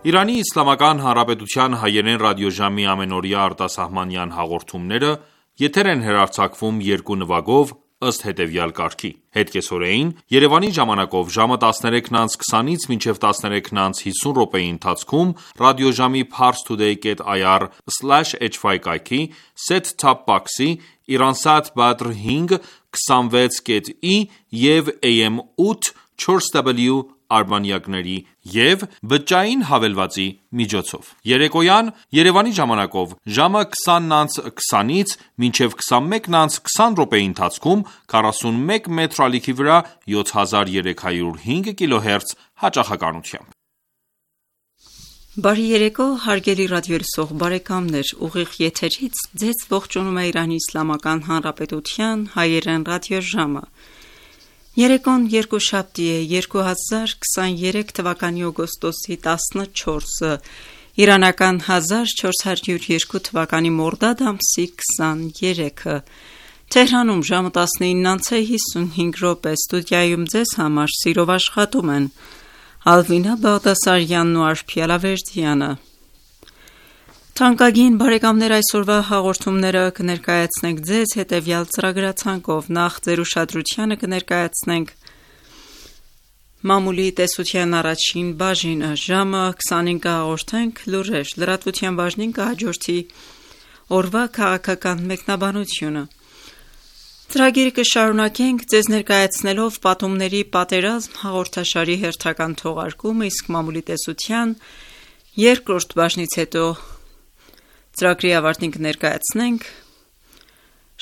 Իրանի Իսլամական Հանրապետության հայերեն ռադիոժամի ամենօրյա արտասահմանյան հաղորդումները եթեր են հեռարձակվում երկու նվագով ըստ հետևյալ կարգի: Հետկեսօրեին Երևանի ժամանակով ժամը 13:20-ից մինչև 13:50 րոպեի ընթացքում ռադիոժամի parstoday.ir/hy կայքի set-top box-ի, Iransat Badr 5 26.i և AM 8 4W արբանյակների և բջջային հավելվածի միջոցով: Երեկոյան Երևանի ժամանակով ժամը 20:20-ից մինչև 21:20 րոպեի ընթացքում 41 մետր ալիքի վրա 7305 կիլոհերց հաճախականությամբ: Բարի երեկո հարգելի ռադիոլսող բարեկամներ: Ուղիղ եթերից ձեզ ողջունում է Իրանի Իսլամական Հանրապետության հայերեն ռադիոժամը: Երեկոն երկուշաբթի է, 2023 թվականի օգոստոսի 14, իրանական 1402 թվականի մորդադ ամսի 23-ը: Թեհրանում ժամը 19:55 րոպե: Ստուդիայում ձեզ համար սիրով աշխատում են Ալվինա Բաղդասարյանն ու Արփի Ալավերդյանը: Թանկագին բարեկամներ, այսօրվա հաղորդումները կներկայացնենք ձեզ հետևյալ ծրագրացանկով: Նախ ձեր ուշադրությանը կներկայացնենք մամուլի տեսության առաջին բաժինը: Ժամը 20-ին կհաղորդենք լուրեր: Լրատվության բաժնին կհաջորդի օրվա քաղաքական մեկնաբանությունը: Ծրագիրը կշարունակենք ձեզ ներկայացնելով «Պատումների պատերազմ» հաղորդաշարի հերթական թողարկումը, իսկ մամուլի տեսության երկրորդ բաժնից հետո ծրագրի ավարտին կներկայացնենք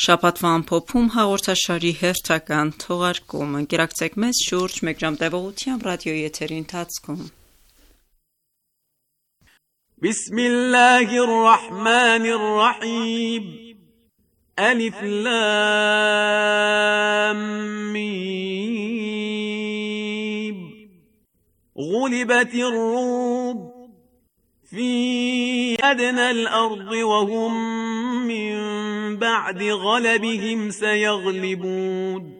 «Շաբաթվա ամփոփում» հաղորդաշարի հերթական թողարկումը: Ընկերակցեք մեզ շուրջ մեկ ժամ տևողությամբ ռադիոյի եթերի ընթացքում: Բիսմիլլահիր ռահմանիր ռահիմ Ալիֆ լամ միմ Ղուլիբաթիր ռում في أدنى الأرض وهم من بعد غلبهم سيغلبون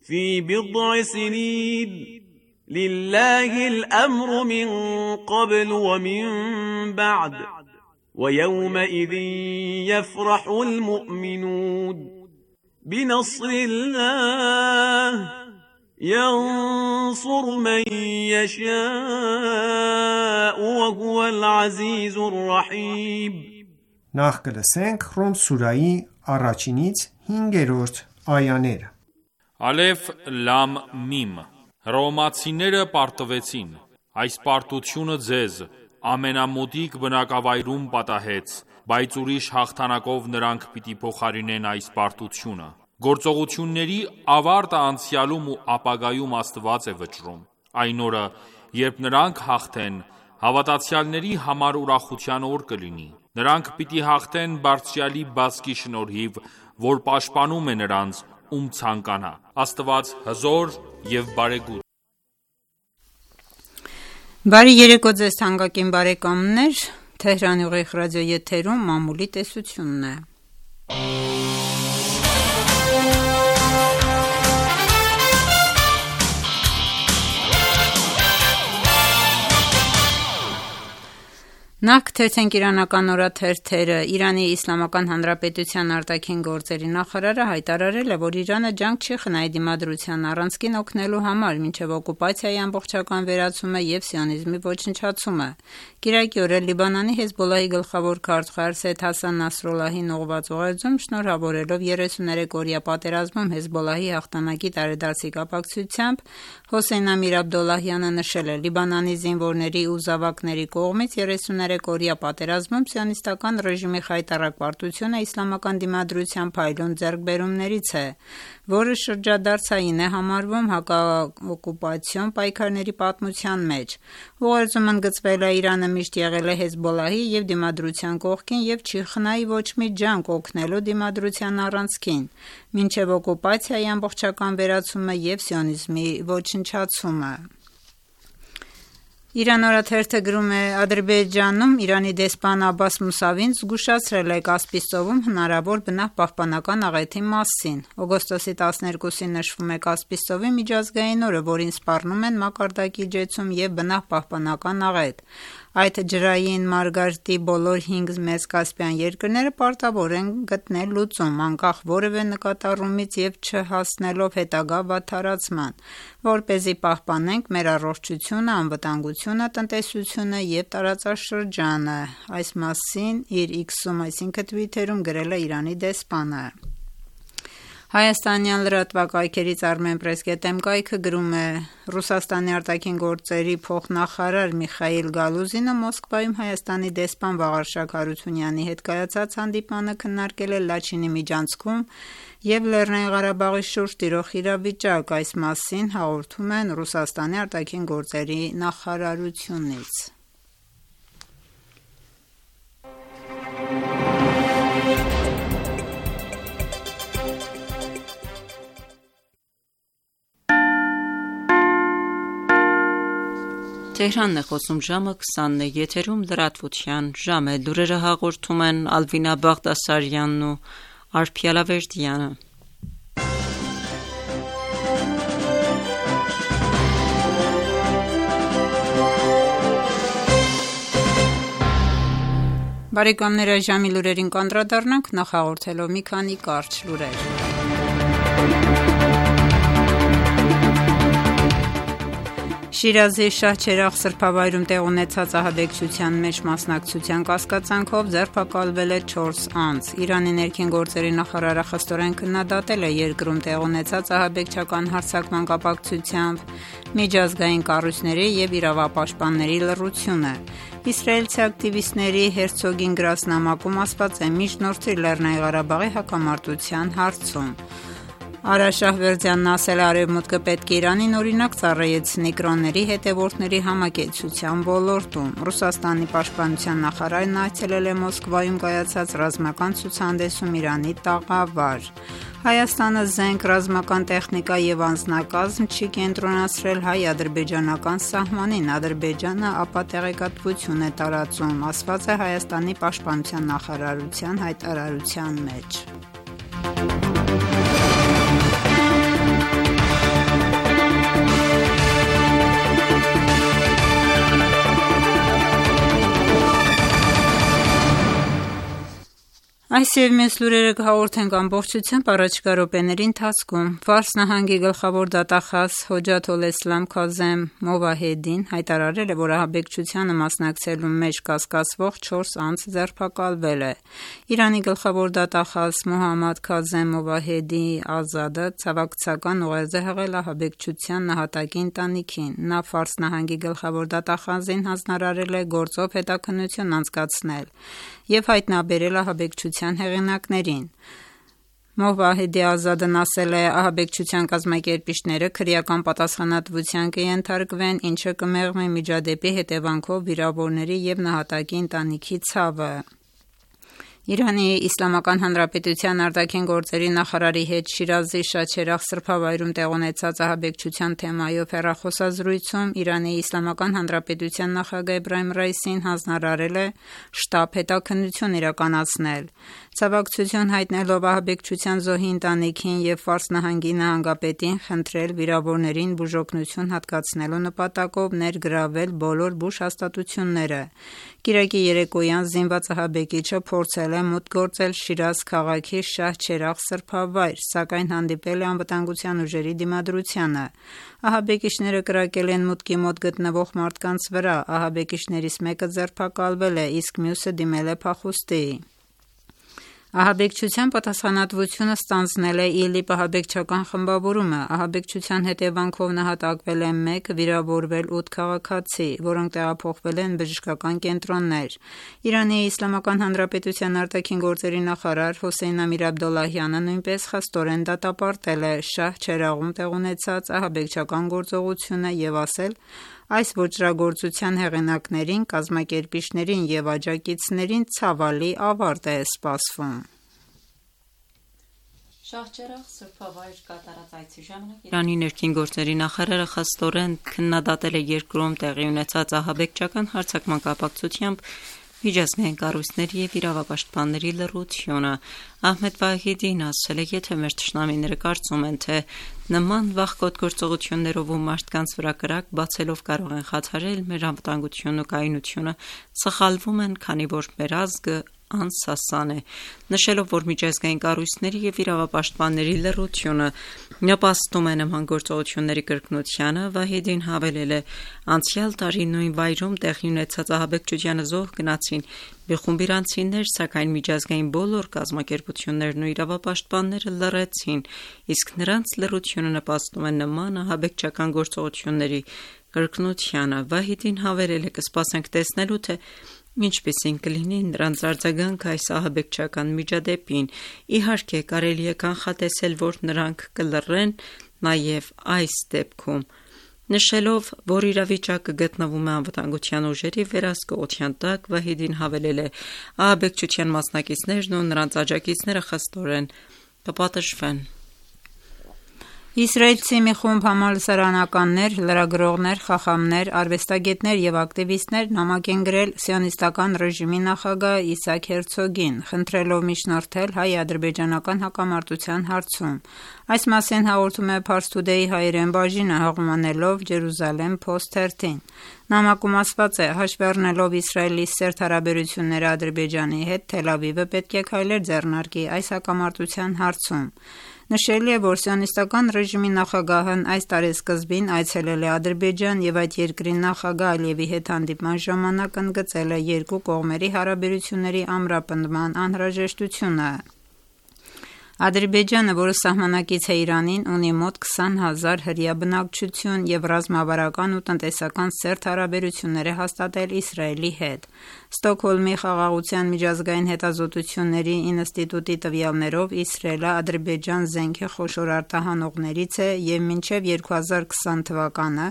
في بضع سنين لله الأمر من قبل ومن بعد ويومئذ يفرح المؤمنون بنصر الله ينصر من يشاء وهو العزيز الرحيم Նախ կլսենք Ռում սուրայի առաջինից 5-րդ այաները: Ալեֆ լամ միմ Հռոմեացիները պարտվեցին: Այս պարտությունը ձեզ ամենամոտիկ բնակավայրում պատահեց, բայց ուրիշ հաղթանակով նրանք պիտի փոխարինեն այս պարտությունը: Գործողությունների ավարտը անցյալում ու ապագայում Աստված է վճռում: Այն օրը, երբ նրանք հաղթեն, հավատացյալների համար ուրախության օր կլինի: Նրանք պիտի հաղթեն Բարձրյալի բազկի շնորհիվ, որ պաշտպանում է նրանց, ում ցանկանա: Աստված հզոր և բարեգութ: Բարի երեկո ձեզ թանկագին բարեկամներ: Թեհրանի ուղիղ ռադիոեթերում մամուլի տեսությունն է: Նախ կթերթենք իրանական օրաթերթերը: Իրանի Իսլամական Հանրապետության արտաքին գործերի նախարարը հայտարարել է, որ Իրանը ջանք չի խնայի Դիմադրությանն առանցքին օգնելու համար, մինչև օկուպացիայի ամբողջական վերացումը և սիոնիզմի ոչնչացումը: Կիրակի օրը Լիբանանի Հեզբոլլահի գլխավոր քարտուղար Սեյյեդ Հասան Նասրալլահին ուղղված ուղերձում, շնորհավորելով 33-օրյա պատերազմում Հեզբոլլահի հաղթանակի տարեդարձի կապակցությամբ, Հոսեյն Ամիր Աբդոլլահյանը նշել է. «Լիբանանի զինվորների ու զավակների կողմից 33-օրյա պատերազմում սիոնիստական ռեժիմի խայտառակ պարտությունը իսլամական դիմադրության փայլուն ձեռքբերումներից է, որը շրջադարձային է համարվում հակաօկուպացիոն պայքարների պատմության մեջ»: Ուղերձում ընդգծվել է. «Իրանը միշտ եղել է Հեզբոլլահի և Դիմադրության կողքին և չի խնայի ոչ մի ջանք օգնելու Դիմադրության առանցքին, մինչև օկուպացիայի ամբողջական վերացումը և սիոնիզմի ոչնչացումը»: Իրան օրաթերթը գրում է. Ադրբեջանում Իրանի դեսպան Աբբաս Մուսավին զգուշացրել է Կասպից ծովում հնարավոր բնապահպանական աղեթի մասին։ Օգոստոսի 12-ին նշվում է Կասպից ծովի միջազգային օրը, որին սպառնում են մակարդակի ջեցում և բնապահպանական աղեթ։ Այդ ջրային մարգարտի բոլոր 5 մեծ կասպյան երկրները պարտավոր են գտնել լուծում, անկախ որևէ նկատառումից և չհասնելով հետագա վատթարացման, որպեսզի պահպանենք մեր առողջությունը, անվտանգությունը, տնտեսությունը և տարածաշրջանը։ Այս մասին իր X-ում, այսինքն Twitter-ում գրել է Իրանի դեսպանը։ Հայաստանյան լրատվակայքերից Armenpress.am կայքը գրում է. Ռուսաստանի արտաքին գործերի փոխնախարար Միխայիլ Գալուզինը Մոսկվայում Հայաստանի դեսպան Վաղարշակ Հարությունյանի հետ կայացած հանդիպմանը քննարկել է Լաչինի միջանցքում և Լեռնային Ղարաբաղի շուրջ տիրող իրավիճակ։ Այս մասին հաղորդում են Ռուսաստանի արտաքին գործերի նախարարությունից։ Tehranն է խոսում ժամը 20-ն է, եթերում լրատվության ժամ է, լուրերը հաղորդում են Ալվինա Բաղդասարյանն ու Արփի Ալավերդյանը։ Բարեկամներ, ժամի լուրերին կանդրադառնանք, նախ հաղորդելով մի քանի կարճ լուրեր։ Շիրազի Շահչերաղ սրբավայրում տեղ ունեցած ահաբեկչության մեջ մասնակցության կասկածանքով ձերբակալվել է 4 անձ։ Իրանի ներքին գործերի նախարարը խստորեն քննադատել է երկրում տեղ ունեցած ահաբեկչական հարձակման կապակցությամբ միջազգային կառույցների և իրավապաշտպանների լռությունը։ Իսրայելցի ակտիվիստների Հերցոգին գրած նամակում ասված է՝ միջնորդի Լեռնային Ղարաբաղի հակամարտության հարցում։ Արա Շահվերդյանն ասել է, Արևմուտքը պետք է Իրանին օրինակ ծառայեցնի կրոնների հետևորդների համակեցության ոլորտում։ Ռուսաստանի պաշտպանության նախարարն այցելել է Մոսկվայում կայացած ռազմական ցուցահանդեսում Իրանի տաղավար։ Հայաստանը զենք, ռազմական տեխնիկա և անձնակազմ չի կենտրոնացրել հայ-ադրբեջանական սահմանին, Ադրբեջանը ապա տեղեկատվություն է տարածում, ասված է Հայաստանի պաշտպանության նախարարության հայտարարության մեջ։ Այս և մյուս լուրերը կհաղորդենք ամբողջությամբ առաջիկա րոպեների ընթացքում։ Ֆարս նահանգի գլխավոր դատախազ Հոջաթ ալ-Իսլամ Քազեմ Մովահեդին հայտարարել է, որ ահաբեկչությանը մասնակցելու մեջ կասկածվող 4 անձ ձերբակալվել է։ Իրանի գլխավոր դատախազ Մոհամմադ Քազեմ Մովահեդի Ազադը ցավակցական ուղերձ է հղել ահաբեկչության նահատակի ընտանիքին։ Նա Ֆարս նահանգի գլխավոր դատախազին հանձնարարել է գործով հետաքննություն անցկացնել և հայտնաբերել ահաբեկչության հեղինակներին։ Մովահեդի Ազադն ասել է, ահաբեկչության կազմակերպիչները քրեական պատասխանատվության կենթարկվեն, ինչը կմեղմի միջադեպի հետևանքով վիրավորների և նահատակի ընտանիքի ցավը։ Իրանի Իսլամական Հանրապետության արտաքին գործերի նախարարի հետ Շիրազի Շահչերաղ սրբավայրում տեղ ունեցած ահաբեկչության թեմայով հեռախոսազրույցում Իրանի Իսլամական Հանրապետության նախագահ Էբրահիմ Ռայիսին հանձնարարել է շտապ հետաքննություն իրականացնել։ Ցավակցություն հայտնելով ահաբեկչության զոհի ընտանիքին և Ֆարս նահանգի նահանգապետին խնդրել վիրավորներին բուժօգնություն հատկացնելու նպատակով ներգրավել բոլոր բուժ հաստատությունները։ Կիրակի երեկոյան զինված ահաբեկիչը փորձել է մուտք գործել Շիրազ քաղաքի Շահչերաղ սրբավայր, սակայն հանդիպել է անվտանգության ուժերի դիմադրությանը։ Ահաբեկիչները կրակել են մուտքի մոտ գտնվող մարդկանց վրա, ահաբեկիչներից մեկը ձերբակալվել է, իսկ մյուսը դիմել է փախուստի։ Ահաբեկչության պատասխանատվությունը ստանձնել է ԻԼԻՊ ահաբեկչական խմբավորումը։ Ահաբեկչության հետևանքով նահատակվել է 1, վիրավորվել 8 քաղաքացի, որոնք տեղափոխվել են բժշկական կենտրոններ։ Իրանի Իսլամական Հանրապետության արտաքին գործերի նախարար Հոսեյն Ամիր Աբդոլլահյանը նույնպես խստորեն դատապարտել է Շահչերաղում տեղ ունեցած ահաբեկչական գործողությունը և ասել, այս ոճրագործության հեղինակներին, կազմակերպիչներին և աջակիցներին ցավալի ավարտ է սպասվում։ Շահջերաղ սրբավայր կատարած այցի ժամանակ Իրանի ներքին գործերի նախարարը խստորեն քննադատել է երկրում տեղի ունեցած ահաբեկչական հարձակման կապակցությամբ միջազգային կառույցների եւ իրավապաշտպանների լռությունը։ Ահմեդ Վահիդին ասել է, եթե մեր թշնամիները կարծում են, թե նման վախկոտ գործողություններով ու մարդկանց վրա կրակ բացելով կարող են խաթարել մեր անվտանգությունն ու կայունությունը, սխալվում են, քանի որ մեր ազգը անսասան է, նշելով, որ միջազգային կառույցների եւ իրավապաշտպանների լռությունը նպաստում է նման գործողությունների կրկնությանը, Վահիդին հավելել է. անցյալ տարի նույն վայրում տեղի ունեցած ահաբեկչությանը զոհ գնացին մի խումբ իրանցիներ, սակայն միջազգային բոլոր կազմակերպություններն ու իրավապաշտպանները լռեցին, իսկ նրանց լռությունը նպաստում է նման ահաբեկչական գործողությունների կրկնությանը։ Վահիդին հավելել է. կսպասենք տեսնելու, թե ինչպիսին կլինի նրանց արձագանքը այս ահաբեկչական միջադեպին։ Իհարկե, կարելի է կանխատեսել, որ նրանք կլռեն նաև այս դեպքում, նշելով, որ իրավիճակը գտնվում է անվտանգության ուժերի վերահսկողության տակ, Վահիդին հավելել է. ահաբեկչության մասնակիցներն ու նրանց աջակիցները խստորեն կպատժվեն։ Իսրայելցի մի խումբ համալսարանականներ, լրագրողներ, խախամներ, արվեստագետներ եւ ակտիվիստներ նամակ են գրել սիոնիստական ռեժիմի նախագահ Իսահակ Հերցոգին, խնդրելով միջնորդել հայ-ադրբեջանական հակամարտության հարցում։ Այս մասին հաղորդում է Pars Today հայերեն բաժինը, հաղորդմանելով Jerusalem Post-13։ Նամակում ասված է. հաշվի առնելով Իսրայելի սերտ հարաբերությունները Ադրբեջանի հետ, Թել Ավիվը պետք է քայլեր ձեռնարկի այս հակամարտության հարցում։ Նշելի է, որ սիոնիստական ռեժիմի նախագահն այս տարեսկզբին այցելել է Ադրբեջան եւ այդ երկրի նախագահ Ալիևի հետ հանդիպման ժամանակ ընդգծել է երկու կողմերի հարաբերությունների ամրապնդման անհրաժեշտությունը։ Ադրբեջանը, որը սահմանակից է Իրանին, ունի մոտ 20,000 հրեա բնակչություն եւ ռազմավարական ու տնտեսական սերտ հարաբերություններ է հաստատել Իսրայելի հետ։ Ստոկհոլմի խաղաղության միջազգային հետազոտությունների ինստիտուտի տվյալներով Իսրայելը Ադրբեջան զենքի խոշոր արտահանողներից է եւ մինչեւ 2020 թվականը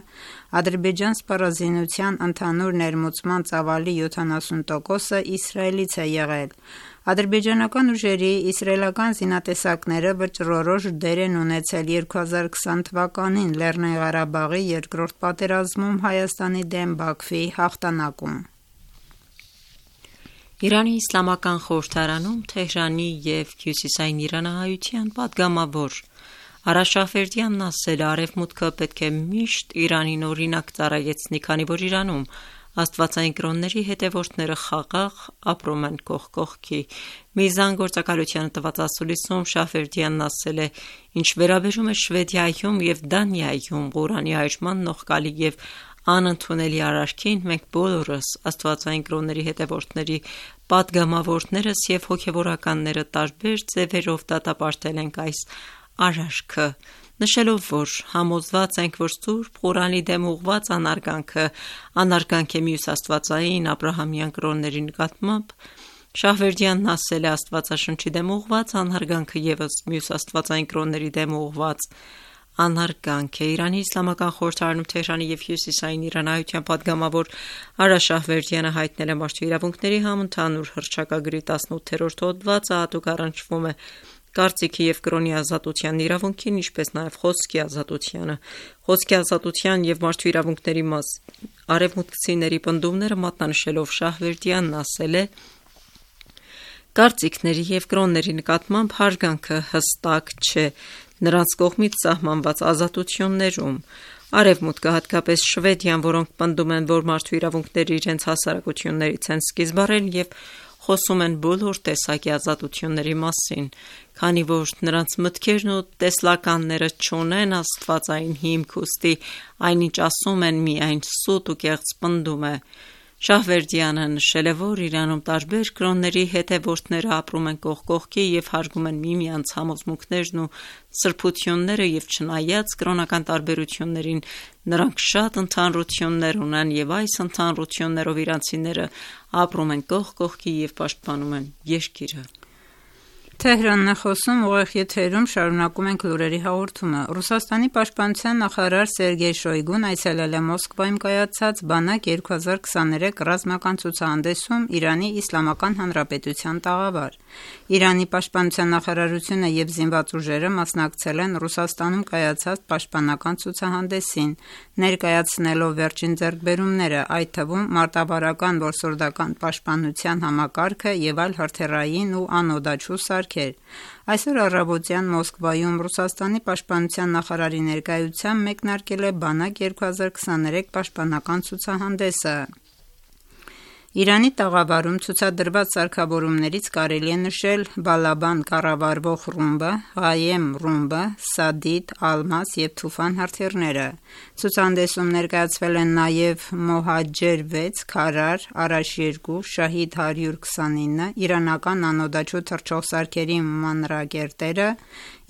Ադրբեջան սպառազինության ընդհանուր ներմուծման ծավալի 70%-ը Իսրայելից է եղել։ Ադրբեջանական ուժերի իսրայելական զինատեսակները վճռորոշ դեր են ունեցել 2020 թվականին Լեռնային Ղարաբաղի երկրորդ պատերազմում Հայաստանի դեմ Բաքվի հաղթանակում։ Իրանի իսլամական խորհրդարանում Թեհրանի եւ Հյուսիսային իրանահայության падգամավոր Արա Շահվերդյանն ասել է, Արևմուտքը պետք է միշտ Իրանին օրինակ ծառայեցնի, քանի որ Իրանում աստվածային կրոնների հետևորդները խաղաղ ապրում են կողք կողքի։ Միզան գործակալությանը տված ասուլիսում Շահվերդյանն ասել է. ինչ վերաբերում է Շվեդիայում եւ Դանիայում Ղուրանի այրման նողկալի եւ անընդունելի արարքին, մենք բոլորս աստվածային կրոնների հետևորդների падգամավորներս եւ հոգեվորականները տարբեր ձևերով դատապարտել ենք այս արարքը, նշելով, որ համոզված ենք, որ Սուրբ Ղուրանի դեմ ուղղված անարգանք է մյուս աստվածային Աբրահամյան կրոնների նկատմամբ, Շահվերդյանն ասել է Աստվածաշնչի դեմ ուղղված անարգանքը եւս մյուս աստվածային կրոնների դեմ ուղղված անարգանք է։ Իրանի իսլամական խորհրդարանում Թեհրանի եւ Հյուսիսային իրանահայության падգամավոր Արա Շահվերդյանը հայտնել է մարդու իրավունքների համընդհանուր հռչակագրի 18-րդ հոդվածը հատուկ առնչվում է կարծիքի եւ կրոնի ազատության իրավունքին, ինչպես նաեւ խոսքի ազատությանը։ Խոսքի ազատության եւ մարդու իրավունքների արևմուտքցիների պնդումները մատնանշելով Շահվերդյանն ասել է. կարծիքների եւ կրոնների նկատմամբ հարգանքը հստակ չէ նրանց կողմից սահմանված ազատություններում։ Արևմուտքը, հատկապես Շվեդիան, որոնք պնդում են, որ մարդու իրավունքները իրենց հասարակություններից են սկիզբ առել եւ խոսում են բոլոր տեսակի ազատությունների մասին, քանի որ նրանց մտքերն ու տեսլականները չունեն աստվածային հիմք, ուստի այնինչ ասում են միայն սուտ ու կեղծ պնդում է։ Շահվերդյանը նշել է, որ Իրանում տարբեր կրոնների հետևորդները ապրում են կողք կողքի եւ հարգում են միմյանց համոզմունքներն ու սրբությունները եւ չնայած կրոնական տարբերություններին նրանք շատ ընդհանրություններ ունեն եւ այս ընդհանրություններով իրանցիները ապրում են կողք կողքի եւ պաշտպանում են երկիրը։ Թեհրանն է խոսում, ուղիղ եթերում շարունակում ենք լուրերի հաղորդումը։ Ռուսաստանի պաշտպանության նախարար Սերգեյ Շոյգուն այցելել է Մոսկվայում կայացած Բանակ 2023 ռազմական ցուցահանդեսում Իրանի Իսլամական Հանրապետության տաղավար։ Իրանի պաշտպանության նախարարությունը եւ զինված ուժերը մասնակցել են Ռուսաստանում կայացած պաշտպանական ցուցահանդեսին, ներկայացնելով վերջին ձեռքբերումները, այդ թվում մարտավարական որսորդական պաշտպանության համակարգը եւ այլ հրթիռային ու անօդաչու սարքեր։ Այսօր առավոտյան Մոսկվայում Ռուսաստանի պաշտպանության նախարարի ներկայությամբ մեկնարկել է Բանակ 2023 պաշտպանական ցուցահանդեսը։ Իրանի տաղավարում ցուցադրված սարքավորումներից կարելի է նշել Բալաբան կառավարվող ռումբը, Ղայեմ ռումբը, Սադիդ, Ալմաս եւ Թուֆան հրթիռները։ Ցուցահանդեսում ներկայացվել են նաեւ Մոհաջեր 6, Քարար, Արաշ 2, Շահիդ 129, իրանական անօդաչու թռչող սարքերի մանրակերտերը,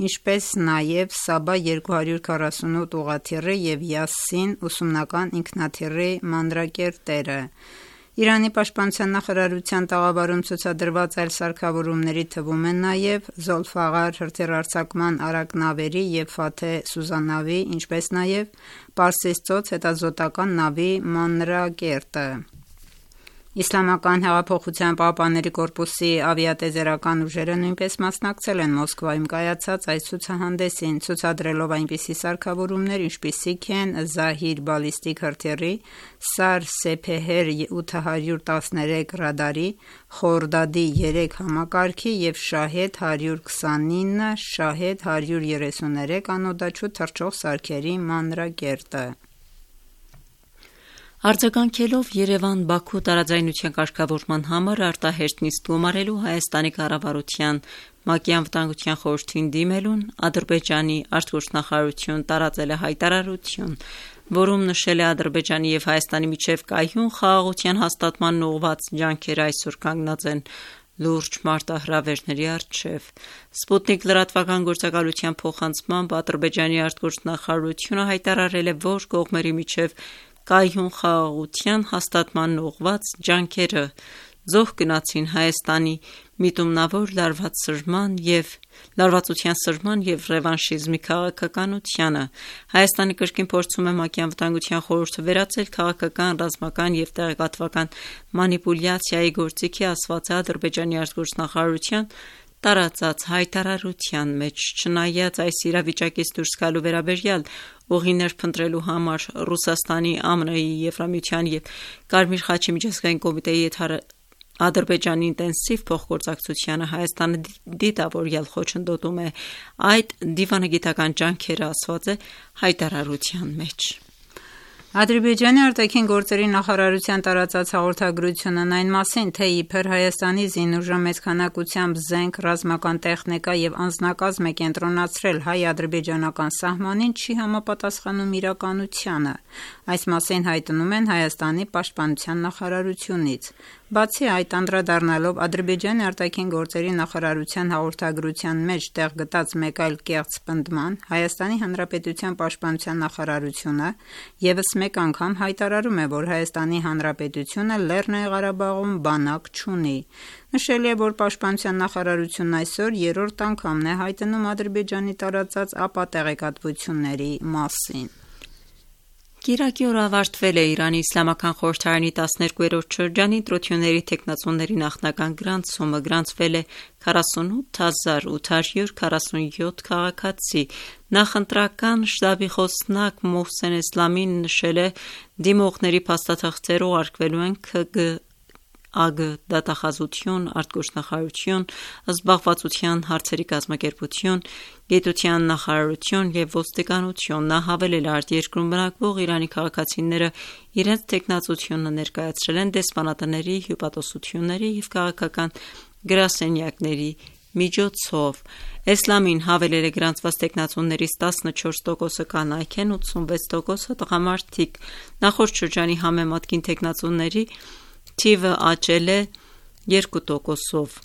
ինչպես նաեւ Սաբա 248 ուղղաթիռի եւ Յասին ուսումնական ինքնաթիռի մանրակերտերը։ Իրանի պաշտպանության նախարարության տաղավարում ցուցադրված այլ սարքավորումների թվում են նաև Զոլֆաղար հրթիռարձակման արագ նավերի եւ Ֆաթե սուզանավի, ինչպես նաև Պարսից ծոց հետազոտական նավի մանրակերտը։ Իսլամական հեղափոխության պահապանների կորպուսի ավիատեզերական ուժերը նույնպես մասնակցել են Մոսկվայում կայացած այս ցուցահանդեսին, ցուցադրելով այնպիսի սարքավորումներ, ինչպիսիք են Զահիր բալիստիկ հրթիռի, Սար Սեփեհեր 813 ռադարի, Խորդադի 3 համակարգի եւ Շահեդ 129, Շահեդ 133 անօդաչու թռչող սարքերի մանրակերտը։ Արձագանքելով Երևան-Բաքու տարաձայնության կարգավորման համար արտահերտ նիստ գումարելու Հայաստանի կառավարության ՄԱԿ-ի անվտանգության խորհրդին դիմելուն Ադրբեջանի արտգործնախարարություն տարածել է հայտարարություն, որում նշել է Ադրբեջանի եւ Հայաստանի միջև կայուն խաղաղության հաստատման ուղղված ջանքերը այսօր կանգնած են լուրջ մարտահրավերների առջև։ Սպուտնիկ լրատվական գործակալության փոխանցմամբ Ադրբեջանի արտգործնախարարությունը հայտարարել է, որ կողմերի միջև կայուն խաղաղության հաստատման ուղղված ջանքերը զոհ գնացին Հայաստանի միտումնավոր լարվածության սրման եւ ռևանշիզմի քաղաքականությանը։ Հայաստանը կրկին փորձում է ՄԱԿ-ի անվտանգության խորհուրդը վերածել քաղաքական, ռազմական եւ տեղեկատվական մանիպուլյացիայի գործիքի, ասված է Ադրբեջանի արտգործնախարարության տարածած հայտարարության մեջ։ Չնայած այս իրավիճակից դուրս գալու վերաբերյալ ուղիներ փնտրելու համար Ռուսաստանի, ԱՄՆ-ի, Եվրամիության եւ Կարմիր խաչի միջազգային կոմիտեի հետ Ադրբեջանի ինտենսիվ փոխգործակցությանը Հայաստանը դիտավորյալ խոչընդոտում է այդ դիվանագիտական ջանքերը, ասված է հայտարարության մեջ։ Ադրբեջանի արտաքին գործերի նախարարության տարածած հաղորդագրությունն այն մասին, թե իբր Հայաստանի զինուժը մեծ քանակությամբ զենք, ռազմական տեխնիկա եւ անձնակազմ է կենտրոնացրել հայ-ադրբեջանական սահմանին, չի համապատասխանում իրականությանը։ Այս մասին հայտնում են Հայաստանի պաշտպանության նախարարությունից։ Բացի այդ, անդրադառնալով Ադրբեջանի արտաքին գործերի նախարարության հաղորդագրության մեջ տեղ գտած մեկ այլ կեղծ պնդման, Հայաստանի Հանրապետության պաշտպանության նախարարությունը եւս մեկ անգամ հայտարարում է, որ Հայաստանի Հանրապետությունը Լեռնային Ղարաբաղում բանակ չունի։ Նշել է, որ պաշտպանության նախարարությունն այսօր երրորդ անգամն է հայտնում Ադրբեջանի տարածած ապատեղեկատվությունների մասին։ Կիրակի օր ավարտվել է Իրանի Իսլամական խորհրդարանի 12-րդ շրջանի ընտրությունների թեկնածուների նախնական գրանցումը, գրանցվել է 48847 քաղաքացի։ Նախընտրական շտաբի խոսնակ Մոհսեն Էսլամին նշել է, դիմողների փաստաթղթերը ուղարկվելու են ՔԳԱԳ դատախազություն, արտգործնախարարություն, զբաղվածության հարցերի կազմակերպություն, գիտության նախարարություն եւ ոստիկանություն։ Նա հավելել է, արտերկրում բնակվող Իրանի քաղաքացիները իրենց թեկնածությունը ներկայացրել են դեսպանատների, հյուպատոսությունների եւ քաղաքական գրասենյակների միջոցով։ Էսլամին հավելել է, գրանցված թեկնածուներից 14%-ը կանայք են, 86%-ը տղամարդիկ։ Նախորդ շրջանի համեմատ կին թեկնածուների թիվը աճել է 2%-ով։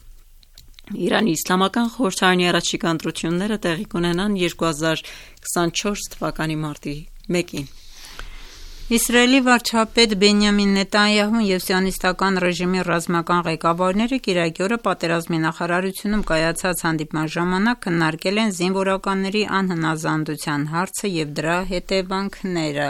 Իրանի Իսլամական խորհրդարանի առաջիկա ընտրությունները տեղի կունենան 2024 թվականի մարտի 1-ին։ Իսրայելի վարչապետ Բենյամին Նետանյահուն և սիոնիստական ռեժիմի ռազմական ղեկավարները կիրակի օրը պատերազմի նախարարությունում կայացած հանդիպման ժամանակ քննարկել են զինվորականների անհնազանդության հարցը և դրա հետևանքները։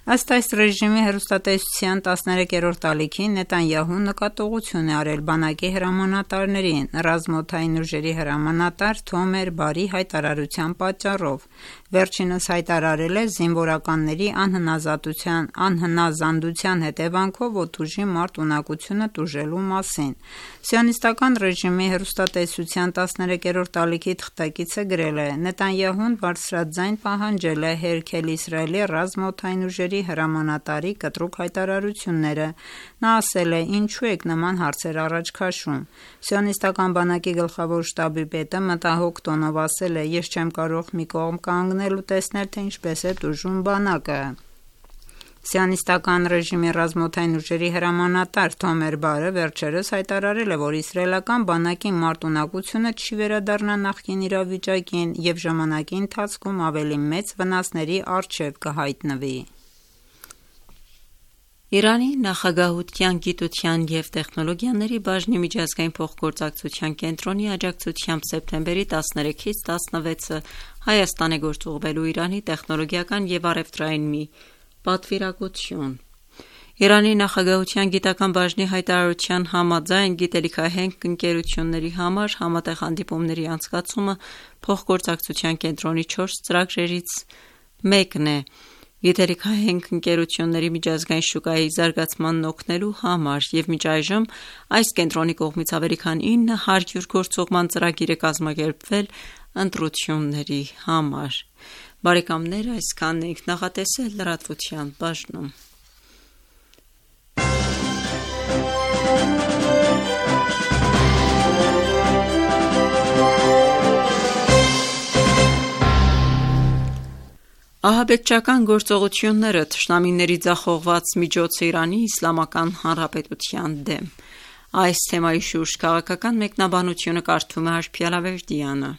Ըստ այս ռեժիմի հեռուստատեսության 13-րդ ալիքին Նետանյահուն նկատողություն է արել բանակի հրամանատարներին ռազմաօդային ուժերի հրամանատար Թոմեր Բարի հայտարարության պատճառով։ Վերջինս հայտարարել է զինվորականների անհնազանդության հետևանքով օդուժի մարտունակությունը տուժելու մասին։ Սիոնիստական ռեժիմի հեռուստատեսության 13-րդ ալիքի թղթակիցը գրել է. Նետանյահուն բարձրաձայն պահանջել է հերքել Իսրայելի ռազմաօդային ուժերի հրամանատարի կտրուկ հայտարարությունները։ Նա ասել է. ինչու եք նման հարցեր առաջ քաշում։ Սիոնիստական բանակի գլխավոր շտաբի պետը մտահոգ տոնով ասել է. ես չեմ կարող մի կողմ կանգնել ու տեսնել, թե ինչպես է տուժում բանակը։ Սիոնիստական ռեժիմի ռազմաօդային ուժերի հրամանատար Թոմեր Բարը վերջերս հայտարարել է, որ իսրայելական բանակի մարտունակությունը չի վերադառնա նախկին իրավիճակին և ժամանակի ընթացքում ավելի մեծ վնասների առջև կհայտնվի։ Իրանի նախագահության գիտության և տեխնոլոգիաների բաժնի միջազգային փոխգործակցության կենտրոնի աջակցությամբ սեպտեմբերի 13-ից 16-ը Հայաստան է գործուղվելու Իրանի տեխնոլոգիական և առևտրային մի պատվիրակություն։ Իրանի նախագահության գիտական բաժնի հայտարարության համաձայն գիտելիքահենք ընկերությունների համար համատեղ հանդիպումների անցկացումը փոխգործակցության կենտրոնի 4 ծրագրերից մեկն է։ Գիտելիքահենք ընկերությունների միջազգային շուկայի զարգացմանն օգնելու համար և մինչ այժմ այս կենտրոնի կողմից ավելի քան 900 գործուղման ծրագիր է կազմակերպվել ընտրությունների համար։ Բարեկամներ, այսքանն ենք նախատեսել լրատվության բաժնում։ Ահաբեկչական գործողությունները թշնամիների ձախողված միջոց է Իրանի Իսլամական Հանրապետության դեմ։ Այս թեմայի շուրջ քաղաքական մեկնաբանությունը կարդում է Արփիա Լավերդյանը։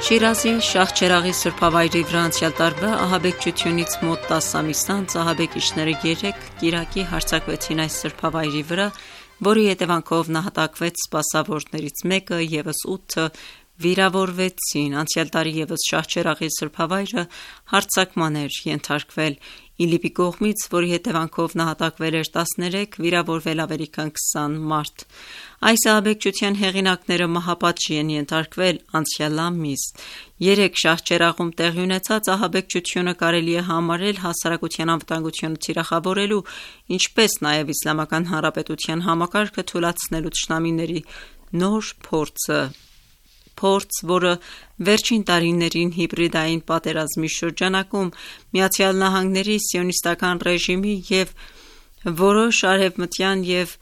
Շիրազի Շահչերաղի սրբավայրի վրա անցյալ տարվա ահաբեկչությունից մոտ 10 ամիս անց ահաբեկիչները 3 կիրակի հարձակվեցին այս սրբավայրի վրա, որի հետևանքով նահատակվեց սպասավորներից մեկը, ևս 8-ը վիրավորվեցին։ Անցյալ տարի ևս Շահչերաղի սրբավայրը հարձակման էր ենթարկվել ԻԼԻՊ-ի կողմից, որի հետևանքով նահատակվել էր 13, վիրավորվել ավելի քան 20 մարդ։ Այս ահաբեկչության հեղինակները մահապատժի են ենթարկվել անցյալ ամիս։ 3 Շահչերաղում տեղի ունեցած ահաբեկչությունը կարելի է համարել հասարակության անվտանգությունը թիրախավորելու, ինչպես նաև Իսլամական Հանրապետության համակարգը թուլացնելու թշնամիների նոր փորձ, որը վերջին տարիներին հիբրիդային պատերազմի շրջանակում ԱՄՆ-ի սիոնիստական ռեժիմի և որոշ արևմտյան և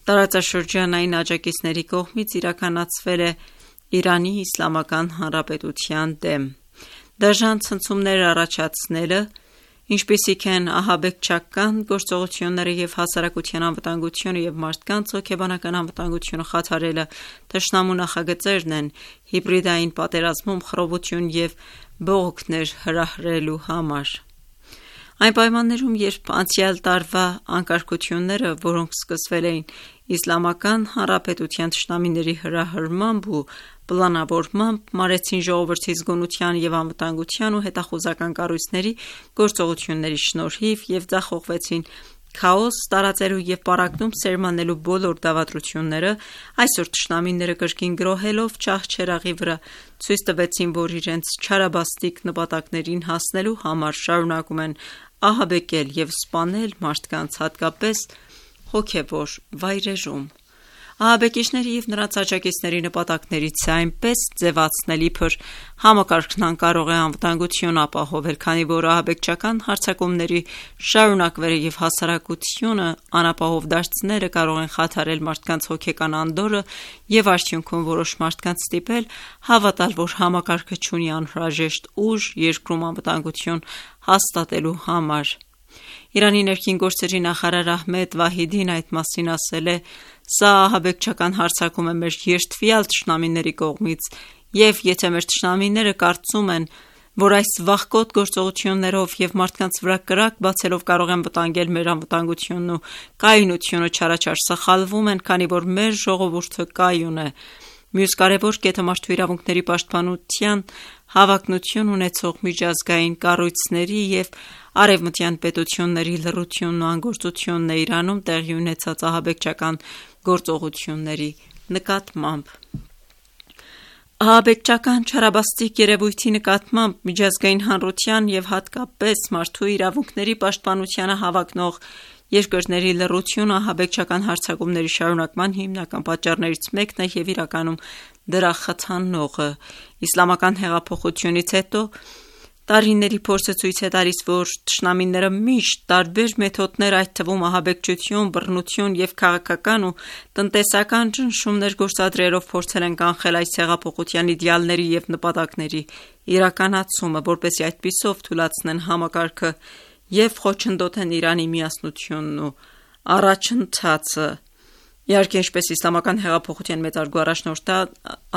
տարածաշրջանային աջակիցների կողմից իրականացվել է Իրանի Իսլամական Հանրապետության դեմ։ Դաժան ցնցումներ առաջացնելը, ինչպիսիք են ահաբեկչական գործողությունները և հասարակության անվտանգությունը և մարդկանց հոգեբանական անվտանգությունը խաթարելը թշնամու նախագծերն են հիբրիդային պատերազմում խռովություն և բողոքներ հրահրելու համար։ Այն պայմաններում, երբ անցյալ տարվա անկարգությունները, որոնք սկսվել էին Իսլամական Հանրապետության թշնամիների հրահրմամբ ու պլանավորմամբ, մարեցին ժողովրդի զգոնության և անվտանգության ու հետախուզական կառույցների գործողությունների շնորհիվ և ձախողվեցին քաոս տարածելու և պառակտում սերմանելու բոլոր դավադրությունները, այսօր թշնամիները կրկին գրոհելով Շահչերաղի վրա ցույց տվեցին, որ իրենց չարաբաստիկ նպատակներին հասնելու համար շարունակում են ահաբեկել և սպանել մարդկանց, հատկապես հոգևոր վայրերում։ Ահաբեկիչների և նրանց աջակիցների նպատակներից է այնպես ձևացնել, իբր համակարգն անկարող է անվտանգություն ապահովել, քանի որ ահաբեկչական հարձակումների շարունակվելը և հասարակությունը անապահով դարձնելը կարող են խաթարել մարդկանց հոգեկան անդորրը և արդյունքում որոշ մարդկանց ստիպել հավատալ, որ համակարգը չունի անհրաժեշտ ուժ երկրում անվտանգություն հաստատելու համար։ Իրանի ներքին գործերի նախարար Ահմեդ Վահիդին այդ մասին ասել է. «Սա ահաբեկչական հարձակում է մեր երդվյալ թշնամիների կողմից, և եթե մեր թշնամիները կարծում են, որ այս վախկոտ գործողություններով և մարդկանց վրա կրակ բացելով կարող են վտանգել մեր անվտանգությունն ու կայունությունը, չարաչար սխալվում են, քանի որ մեր ժողովուրդը կայուն է»։ Մյուս կարևոր կետը մարդու իրավունքների պաշտպանության հավակնություն ունեցող միջազգային կառույցների և արևմտյան պետությունների լռությունն ու անգործությունն է Իրանում տեղի ունեցած ահաբեկչական գործողությունների նկատմամբ։ Ահաբեկչական չարաբաստիկ երևույթի նկատմամբ միջազգային հանրության և հատկապես մարդու իրավունքների պաշտպանությանը հավակնող երկրների լռությունը ահաբեկչական հարձակումների շարունակման հիմնական պատճառներից մեկն է և իրականում դրա խթանողը։ Իսլամական հեղափոխությունից հետո տարիների փորձը ցույց է տալիս, որ թշնամիները միշտ տարբեր մեթոդներ, այդ թվում ահաբեկչություն, բռնություն և քաղաքական ու տնտեսական ճնշումներ գործադրելով փորձել են կանխել այս հեղափոխության իդեալների և նպատակների իրականացումը, որպեսզի այդպիսով թուլացնեն համակարգը և խոչընդոտեն Իրանի միասնությունն ու առաջընթացը։ Իհարկե, ինչպես իսլամական հեղափոխության մեծարգո առաջնորդը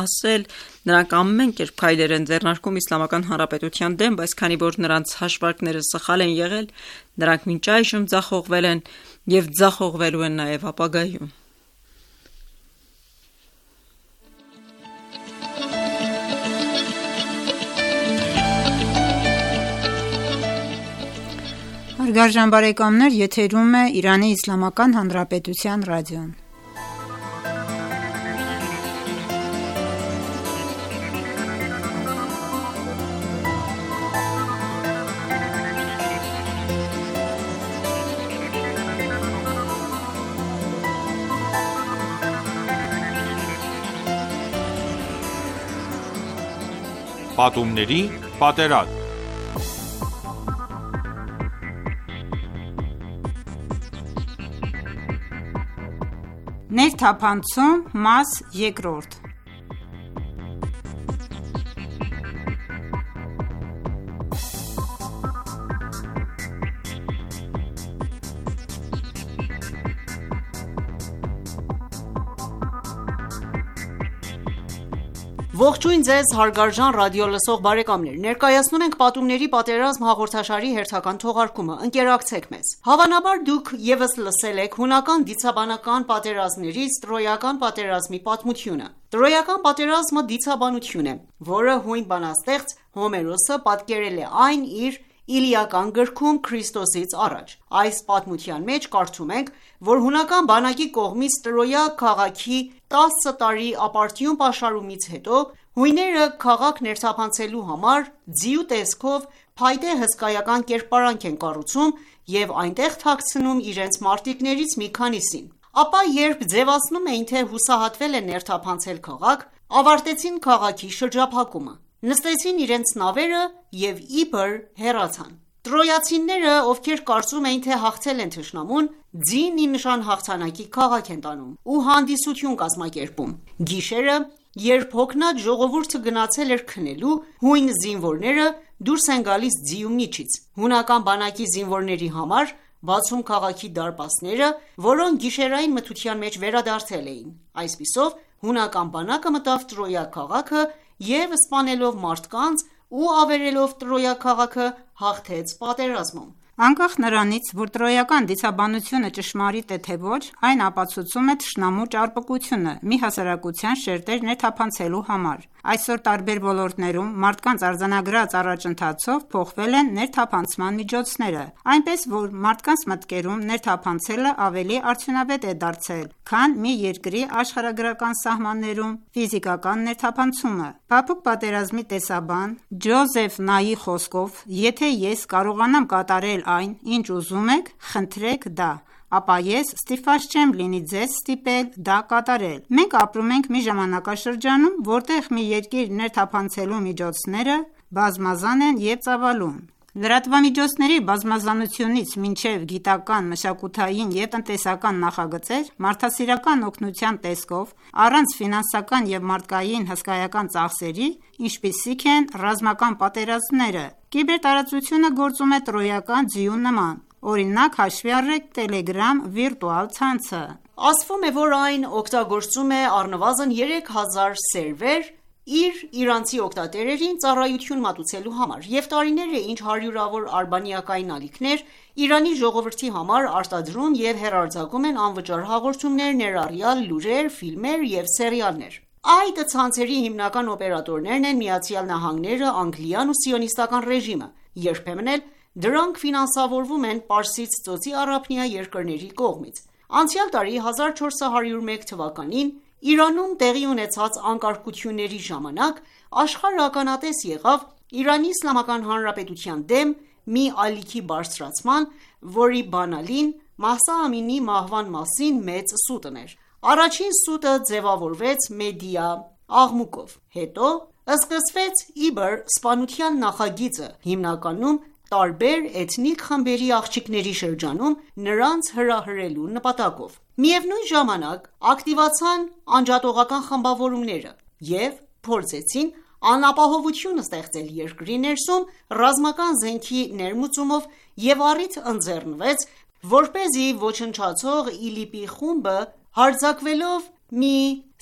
ասել, նրանք ամեն կերպ քայլեր են ձեռնարկում Իսլամական Հանրապետության դեմ, բայց քանի որ նրանց հաշվարկները սխալ են եղել, նրանք մինչ այժմ ձախողվել են և ձախողվելու են նաև ապագայում։ Հարգարժան բարեկամներ, եթերում է Իրանի Իսլամական Հանրապետության ռադիոն։ Պատումների պատերազմ։ Ներթափանցում, մաս երկրորդ։ Ողջույն ձեզ հարգարժան ռադիոլսող բարեկամներ: Ներկայացնում ենք «Պատումների պատերազմ» հաղորդաշարի հերթական թողարկումը: Ընկերակցեք մեզ: Հավանաբար դուք ևս լսել եք հունական դիցաբանական պատերազմներից Տրոյական պատերազմի պատմությունը: Տրոյական պատերազմը դիցաբանություն է, որը հույն բանաստեղծ Հոմերոսը պատկերել է այն իր Իլիական գրքում Քրիստոսից առաջ: Այս պատմության մեջ կարդում ենք, որ հունական բանակի կողմից Տրոյա քաղաքի 10 տարի ապարդյուն պաշարումից հետո հույները քաղաք ներթափանցելու համար ձիու տեսքով փայտե հսկայական կերպարանք են կառուցում և այնտեղ թաքցնում իրենց մարտիկներից մի քանիսին: Ապա երբ ձևացնում էին, թե հուսահատվել են ներթափանցել քաղաք, ավարտեցին քաղաքի շրջափակումը, նստեցին իրենց նավերը և իբր հեռացան: Տրոյացիները, ովքեր կարծում էին, թե հաղթել են թշնամուն, ձին ի նշան հաղթանակի քաղաք են տանում ու հանդիսություն կազմակերպում: Գիշերը, երբ հոգնած ժողովուրդը գնացել էր քնելու, հույն զինվորները դուրս են գալիս ձիու միջից: Հունական բանակի զինվորների համար բացում քաղաքի դարպասները, որոնք գիշերային մթության մեջ վերադարձել էին: Այսպիսով հունական բանակը մտավ Տրոյա քաղաքը և սպանելով մարդկանց ու ավերելով Տրոյա քաղաքը հաղթեց պատերազմում: Անկախ նրանից, որ տրոյական դիցաբանությունը ճշմարիտ է թե ոչ, այն ապացուցում է թշնամու ճարպկությունը մի հասարակության շերտեր ներթափանցելու համար: Այսօր տարբեր ոլորտներում մարդկանց արձանագրած առաջընթացով փոխվել են ներթափանցման միջոցները, այնպես որ մարդկանց մտքերում ներթափանցելը ավելի արդյունավետ է դարձել, քան մի երկրի աշխարհագրական սահմաններում ֆիզիկական ներթափանցումը: Փափուկ պատերազմի տեսաբան Ջոզեֆ Նայի խոսքով, եթե ես կարողանամ կատարել այն, ինչ ուզում եք, խնդրեք դա, ապա ես ստիպված չեմ լինի ձեզ ստիպել դա կատարել: Մենք ապրում ենք մի ժամանակաշրջանում, որտեղ մի երկիր ներթափանցելու միջոցները բազմազան են և ծավալուն: Լրատվամիջոցների բազմազանությունից մինչև գիտական, մշակութային և տնտեսական նախագծեր, մարդասիրական օգնության տեսքով, առանց ֆինանսական և մարդկային հսկայական ծախսերի, ինչպիսիք են ռազմական պատերազմները: Կիբերտարածությունը գործում է տրոյական ձիու նման: Օրինակ, հաշվի առեք Telegram վիրտուալ ցանցը։ Ասվում է, որ այն օգտագործում է առնվազն 3000 սերվեր իր իրանցի օգտատերերին ծառայություն մատուցելու համար, և տարիներ է ինչ հարյուրավոր արբանյակային ալիքներ Իրանի ժողովրդի համար արտադրում և հեռարձակում են անվճար հաղորդումներ, ներառյալ լուրեր, ֆիլմեր և սերիալներ։ Այդ ցանցերի հիմնական օպերատորներն են ԱՄՆ-ը, Անգլիան ու Սիոնիստական ռեժիմը, երբեմն էլ դրանք ֆինանսավորվում են Պարսից ծոցի առափնյա երկրների կողմից։ Անցյալ տարի 1401 թվականին Իրանում տեղի ունեցած անկարգությունների ժամանակ աշխարհը ականատես եղավ Իրանի Իսլամական Հանրապետության դեմ մի ալիքի բարձրացման, որի բանալին Մահսա Ամինիի մահվան մասին մեծ սուտն էր։ Առաջին սուտը ձևավորվեց մեդիա աղմուկով, հետո սկսվեց իբր սպանության նախագիծը, հիմնականում տարբեր էթնիկ խմբերի աղջիկների շրջանում նրանց հրահրելու նպատակով։ Միևնույն ժամանակ ակտիվացան անջատողական խմբավորումները և փորձեցին անապահովություն ստեղծել երկրի ներսում ռազմական զենքի ներմուծումով և առիթ ընձեռնվեց, որպեսզի ոչնչացող ԻԼԻՊ-ի խումբը հարձակվելով մի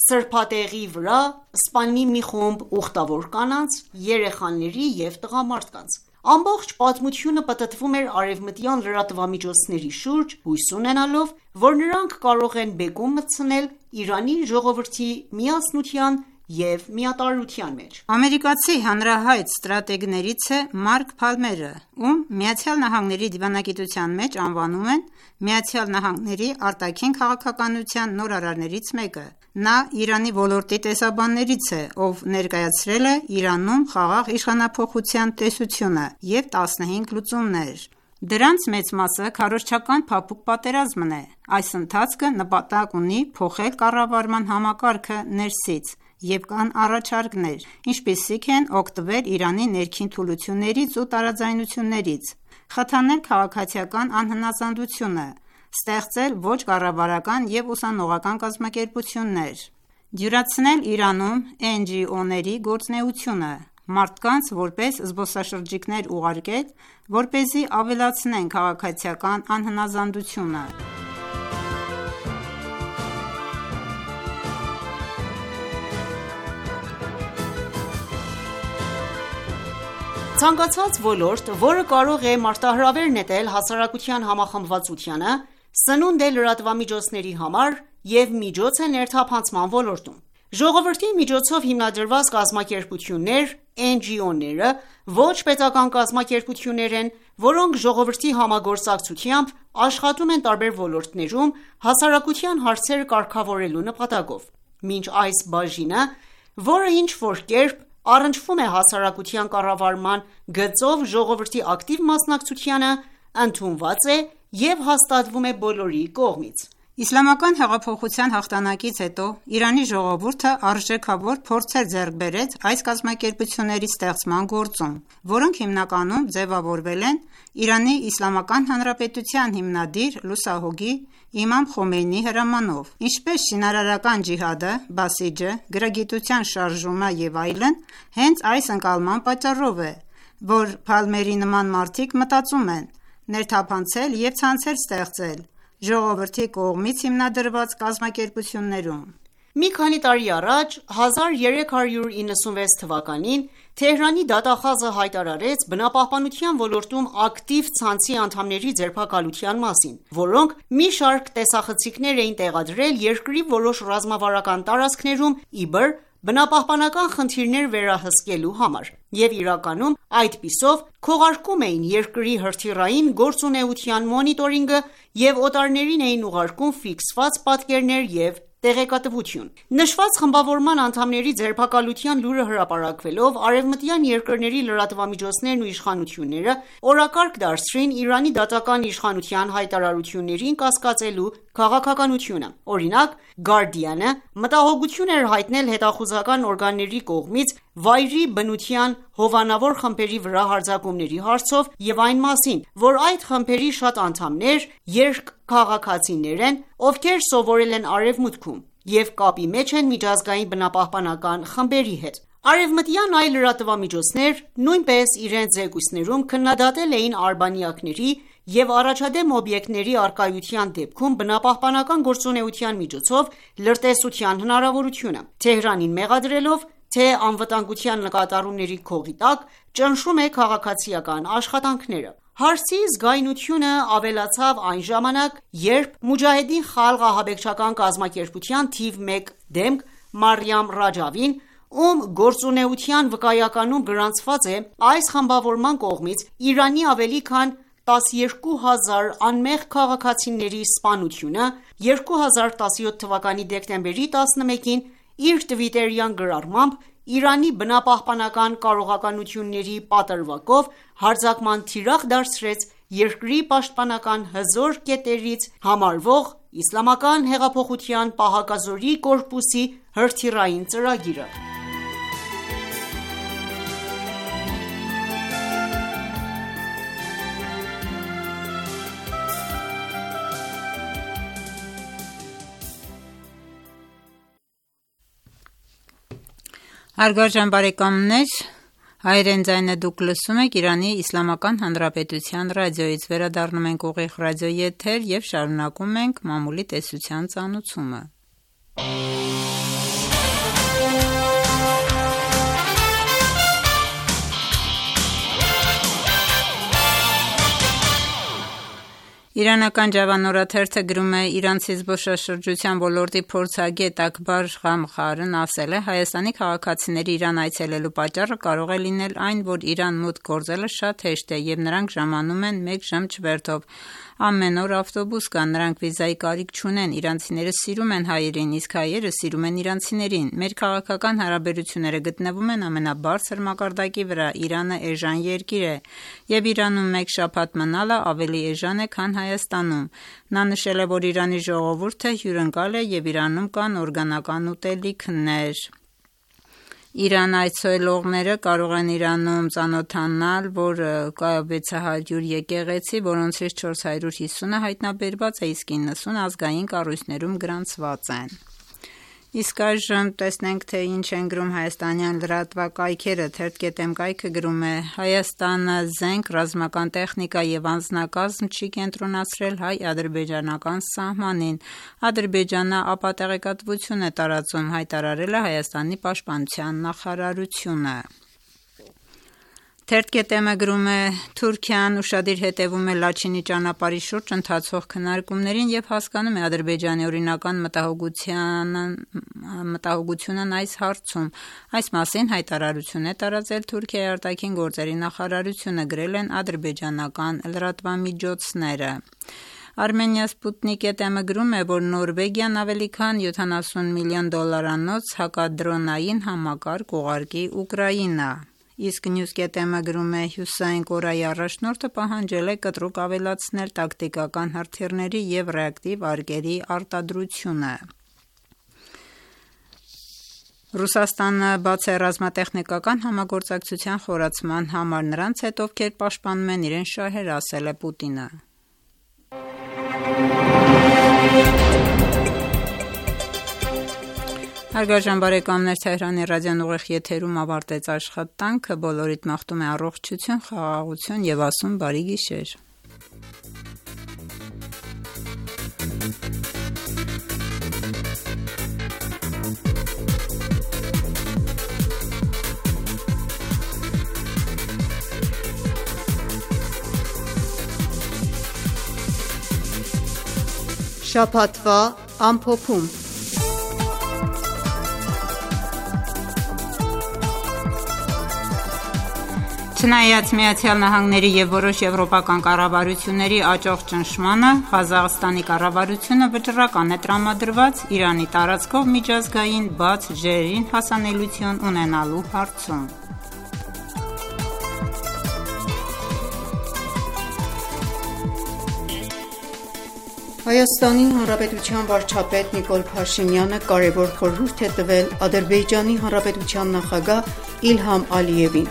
սրբատեղի վրա սպանի մի խումբ ուխտավոր կանանց, երեխաների և տղամարդկանց։ Ամբողջ պատմությունը պտտվում էր արևմտյան լրատվամիջոցների շուրջ, հույս ունենալով, որ նրանք կարող են բեկում մտցնել Իրանի ժողովրդի միասնության և միատարրության մեջ։ Ամերիկացի հանրահայտ ստրատեգներից է Մարկ Փալմերը, ում ԱՄՆ դիվանագիտության մեջ անվանում են ԱՄՆ արտաքին քաղաքականության նորարարներից մեկը։ Նա Իրանի ոլորտի տեսաբաններից է, ով ներկայացրել է Իրանում խաղաղ իշխանափոխության տեսությունը և 15 լուծումներ։ Դրանց մեծ մասը քարոզչական փափուկ պատերազմն է։ Այս ընթացքը նպատակ ունի փոխել կառավարման համակարգը ներսից, և կան առաջարկներ, ինչպիսիք են օգտվել Իրանի ներքին թուլություններից ու տարաձայնություններից, խթանել քաղաքացիական անհնազանդությունը, ստեղծել ոչ կառավարական և ուսանողական կազմակերպություններ, դյուրացնել Իրանում NGO-ների գործունեությունը, մարդկանց որպես զբոսաշրջիկներ ուղարկել, որպեսզի ավելացնեն քաղաքացիական անհնազանդությունը։ Ցանկացած ոլորտ, որը կարող է մարտահրավեր նետել հասարակության համախմբվածությանը, սնունդ է լրատվամիջոցների համար և միջոց է ներթափանցման ոլորտում։ Ժողովրդի միջոցով հիմնադրված կազմակերպություններ, NGO-ները ոչ պետական կազմակերպություններ են, որոնք ժողովրդի համագործակցությամբ աշխատում են տարբեր ոլորտներում հասարակության հարցերը կարգավորելու նպատակով։ Մինչ այս բաժինը, որը ինչ-որ կերպ առնչվում է հասարակության կառավարման գծով ժողովրդի ակտիվ մասնակցությանը, ընդունված է և հաստատվում է բոլորի կողմից։ Իսլամական հեղափոխության հաղթանակից հետո Իրանի ժողովուրդը արժեքավոր փորձեր ձեռք բերեց այս կազմակերպությունների ստեղծման գործում, որոնք հիմնականում ձևավորվել են Իրանի Իսլամական Հանրապետության հիմնադիր լուսահոգի Իմամ Խոմեյնիի հրամանով, ինչպես շինարարական ջիհադը, բասիջը, գրագիտության շարժումը և այլն, հենց այս ընկալման պատճառով է, որ Փալմերի նման մարդիկ մտածում են ներթափանցել և ցանցեր ստեղծել ժողովրդի կողմից հիմնադրված կազմակերպություններում։ Մի քանի տարի առաջ, 1396 թվականին, Թեհրանի դատախազը հայտարարեց բնապահպանության ոլորտում ակտիվ ցանցի անդամների ձերբակալության մասին, որոնք մի շարք տեսախցիկներ էին տեղադրել երկրի որոշ ռազմավարական տարածքներում իբր բնապահպանական խնդիրներ վերահսկելու համար և իրականում այդպիսով քողարկում էին երկրի հրթիռային գործունեության մոնիտորինգը և օտարներին էին ուղարկում ֆիքսված պատկերներ և տեղեկատվություն։ Նշված խմբավորման անդամների ձերբակալության լուրը հրապարակվելով, արևմտյան երկրների լրատվամիջոցներն ու իշխանությունները օրակարգ դարձրին Իրանի դատական իշխանության հայտարարություններին կասկածելու քաղաքականությունը։ Օրինակ, Guardian-ը մտահոգություն էր հայտնել հետախուզական օրգանների կողմից վայրի բնության հովանավոր խմբերի վրա հարձակումների հարցով և այն մասին, որ այդ խմբերի շատ անդամներ երկքաղաքացիներ են, ովքեր սովորել են Արևմուտքում և կապի մեջ են միջազգային բնապահպանական խմբերի հետ։ Արևմտյան այլ լրատվամիջոցներ նույնպես իրենց զեկույցներում քննադատել էին արբանյակների և առաջադեմ օբյեկտների առկայության դեպքում բնապահպանական գործունեության միջոցով լրտեսության հնարավորությունը, Թեհրանին մեղադրելով, թե անվտանգության նկատառումների քողի տակ ճնշում է քաղաքացիական աշխատանքները: Հարցի զգայունությունը ավելացավ այն ժամանակ, երբ Մոջահեդին Խալղ ահաբեկչական կազմակերպության թիվ 1 դեմք Մարիամ Ռաջավին, ում գործունեության վկայականում գրանցված է այս խմբավորման կողմից Իրանի ավելի քան 12000 անմեղ քաղաքացիների սպանությունը, 2017 թվականի դեկտեմբերի 11-ին իր թվիտերյան գրառմամբ Իրանի բնապահպանական կարողականությունների պատրվակով հարձակման թիրախ դարձրեց երկրի պաշտպանական հզոր կետերից համարվող Իսլամական հեղափոխության պահակազորի կորպուսի հրթիռային ծրագիրը: Հարգարժան բարեկամներ, հայրեն ձայնը դուք լսում եք Իրանի Իսլամական Հանրապետության ռադիոյից, վերադառնում ենք ուղիղ ռադիոյի եթեր և շարունակում ենք մամուլի տեսության ծանուցումը: Իրանական Ջավան օրաթերթը գրում է. իրանցի զբոսաշրջության ոլորտի փորձագետ Աքբար Ղամխարն ասել է. Հայաստանի քաղաքացիների Իրան այցելելու պատճառը կարող է լինել այն, որ Իրան մուտք գործելը շատ հեշտ է և նրանք ժամանում են 1 ժամ չվերթով: Ամեն օր ավտոբուս կա, նրանք վիզայի կարիք չունեն, իրանցիները սիրում են հայերին, իսկ հայերը սիրում են իրանցիներին: Մեր քաղաքական հարաբերությունները գտնվում են ամենաբարձր մակարդակի վրա: Իրանը էժան երկիր է և Իրանում 1 շաբաթ մնալը ավելի էժան է, քան Հայաստանում: Նա նշել է, որ Իրանի ժողովուրդը հյուրընկալ է և Իրանում կան օրգանական ուտելիքներ: Իրան այցելողները կարող են Իրանում ծանոթանալ, որ կա 600 եկեղեցի, որոնցից 450-ը հայտնաբերված է, իսկ 90 ազգային կառույցներում գրանցված են: Իսկ այժմ տեսնենք, թե ինչ են գրում հայաստանյան լրատվակայքերը: Թերթ.am կայքը գրում է. Հայաստանը զենք, ռազմական տեխնիկա և անձնակազմ չի կենտրոնացրել հայ-ադրբեջանական սահմանին: Ադրբեջանը ապատեղեկատվություն է տարածում, հայտարարել է Հայաստանի պաշտպանության նախարարությունը: Թերթ.am-ը գրում է. Թուրքիան ուշադիր հետևում է Լաչինի ճանապարհի շուրջ ընթացող քննարկումներին և հասկանում է Ադրբեջանի օրինական մտահոգությունն այս հարցում: Այս մասին հայտարարություն է տարածել Թուրքիայի արտաքին գործերի նախարարությունը, գրել են ադրբեջանական լրատվամիջոցները: Armenia Sputnik.am-ը գրում է, որ Նորվեգիան ավելի քան $70 միլիոն հակադրոնային համակարգ ուղարկի Ուկրաինա: Իսկ News.am-ը գրում է. Հյուսիսային Կորեայի առաջնորդը պահանջել է կտրուկ ավելացնել տակտիկական հրթիռների և ռեակտիվ արկերի արտադրությունը: Ռուսաստանը բաց է ռազմատեխնիկական համագործակցության խորացման համար նրանց հետ, ովքեր պաշտպանում են իրենց շահերը, ասել է Պուտինը: Հարգարժան բարեկամներ, Թեհրանի ռադիոն ուղիղ եթերում ավարտեց աշխատանքը: Բոլորիդ մաղթում է առողջություն, խաղաղություն և ասում բարի գիշեր: Շաբաթվա ամփոփում: Չնայած ԱՄՆ-ի և որոշ եվրոպական կառավարությունների աճող ճնշմանը, Ղազախստանի կառավարությունը վճռական է տրամադրված Իրանի տարածքով միջազգային բաց ջրերին հասանելիություն ունենալու հարցում: Հայաստանի Հանրապետության վարչապետ Նիկոլ Փաշինյանը կարևոր խորհուրդ է տվել Ադրբեջանի Հանրապետության նախագահ Իլհամ Ալիևին: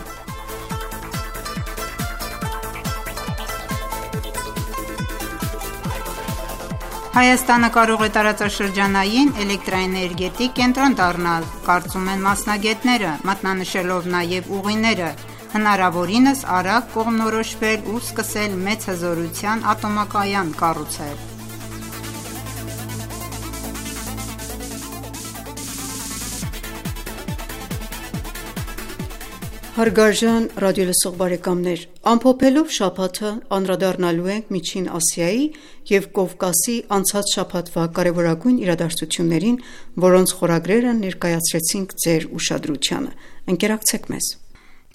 Հայաստանը կարող է տարածաշրջանային էլեկտրաէներգետիկ կենտրոն դառնալ, կարծում են մասնագետները, մատնանշելով նաև ուղիները: հնարավորինս արագ կողմնորոշվել ու սկսել մեծ հզորության ատոմակայան կառուցել։ Հարգարժան ռադիոլսող բարեկամներ, ամփոփելով շաբաթը անդրադառնալու ենք Միջին Ասիայի և Կովկասի անցած շաբաթվա կարևորագույն իրադարձություններին, որոնց խորագրերը ներկայացրեցինք ձեր ուշադրությանը։ Ընկերակցեք մեզ։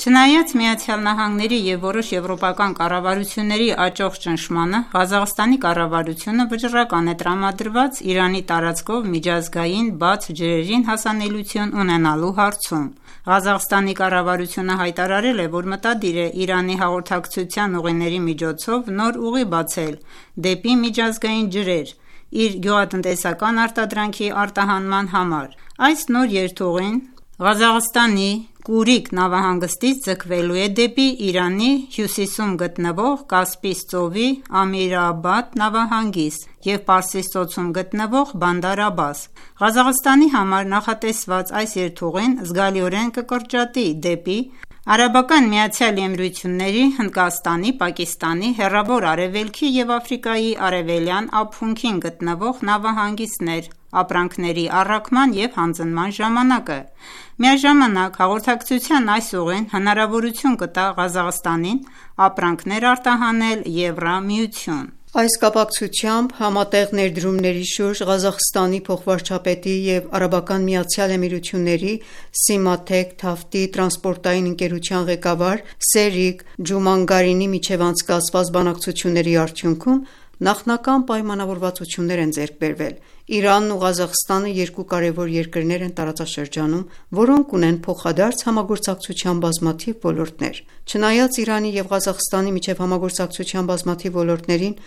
Չնայած ԱՄՆ-ի և որոշ եվրոպական կառավարությունների աճող ճնշմանը, Ղազախստանի կառավարությունը վճռական է տրամադրված Իրանի տարածքով միջազգային բաց ջրերին հասանելիություն ունենալու հարցում։ Ղազախստանի կառավարությունը հայտարարել է, որ մտադիր է Իրանի հաղորդակցության ուղիների միջոցով նոր ուղի բացել դեպի միջազգային ջրեր իր գյուղատնտեսական արտադրանքի արտահանման համար։ Այս նոր երթուղին Ղազախստանի Կուրիկ նավահանգստից ձգվելու է դեպի Իրանի հյուսիսում գտնվող Կասպից ծովի Ամիր-Աբադ նավահանգիստ և Պարսից ծոցում գտնվող Բանդար Աբբաս։ Ղազախստանի համար նախատեսված այս երթուղին զգալիորեն կկրճատի դեպի ԱՄԷ-ի, Հնդկաստանի, Պակիստանի, Հեռավոր Արևելքի և Աֆրիկայի արևելյան ափունքին գտնվող նավահանգիստներ ապրանքների առաքման և հանձնման ժամանակը։ Միաժամանակ հաղորդակցության այս ուղին հնարավորություն կտա Ղազախստանին ապրանքներ արտահանել Եվրամիություն։ Այս կապակցությամբ համատեղ ներդրումների շուրջ Ղազախստանի փոխվարչապետի և ԱՄԷ-ի Սիմաթեք Թավթի տրանսպորտային ընկերության ղեկավար Սերիկ Ջումանգարինի միջև անցկացված բանակցությունների արդյունքում նախնական պայմանավորվածություններ են ձեռք բերվել։ Իրանն ու Ղազախստանը երկու կարևոր երկրներ են տարածաշրջանում, որոնք ունեն փոխադարձ համագործակցության բազմաթիվ ոլորտներ։ Չնայած Իրանի և Ղազախստանի միջև համագործակցության բազմաթիվ ոլորտներին,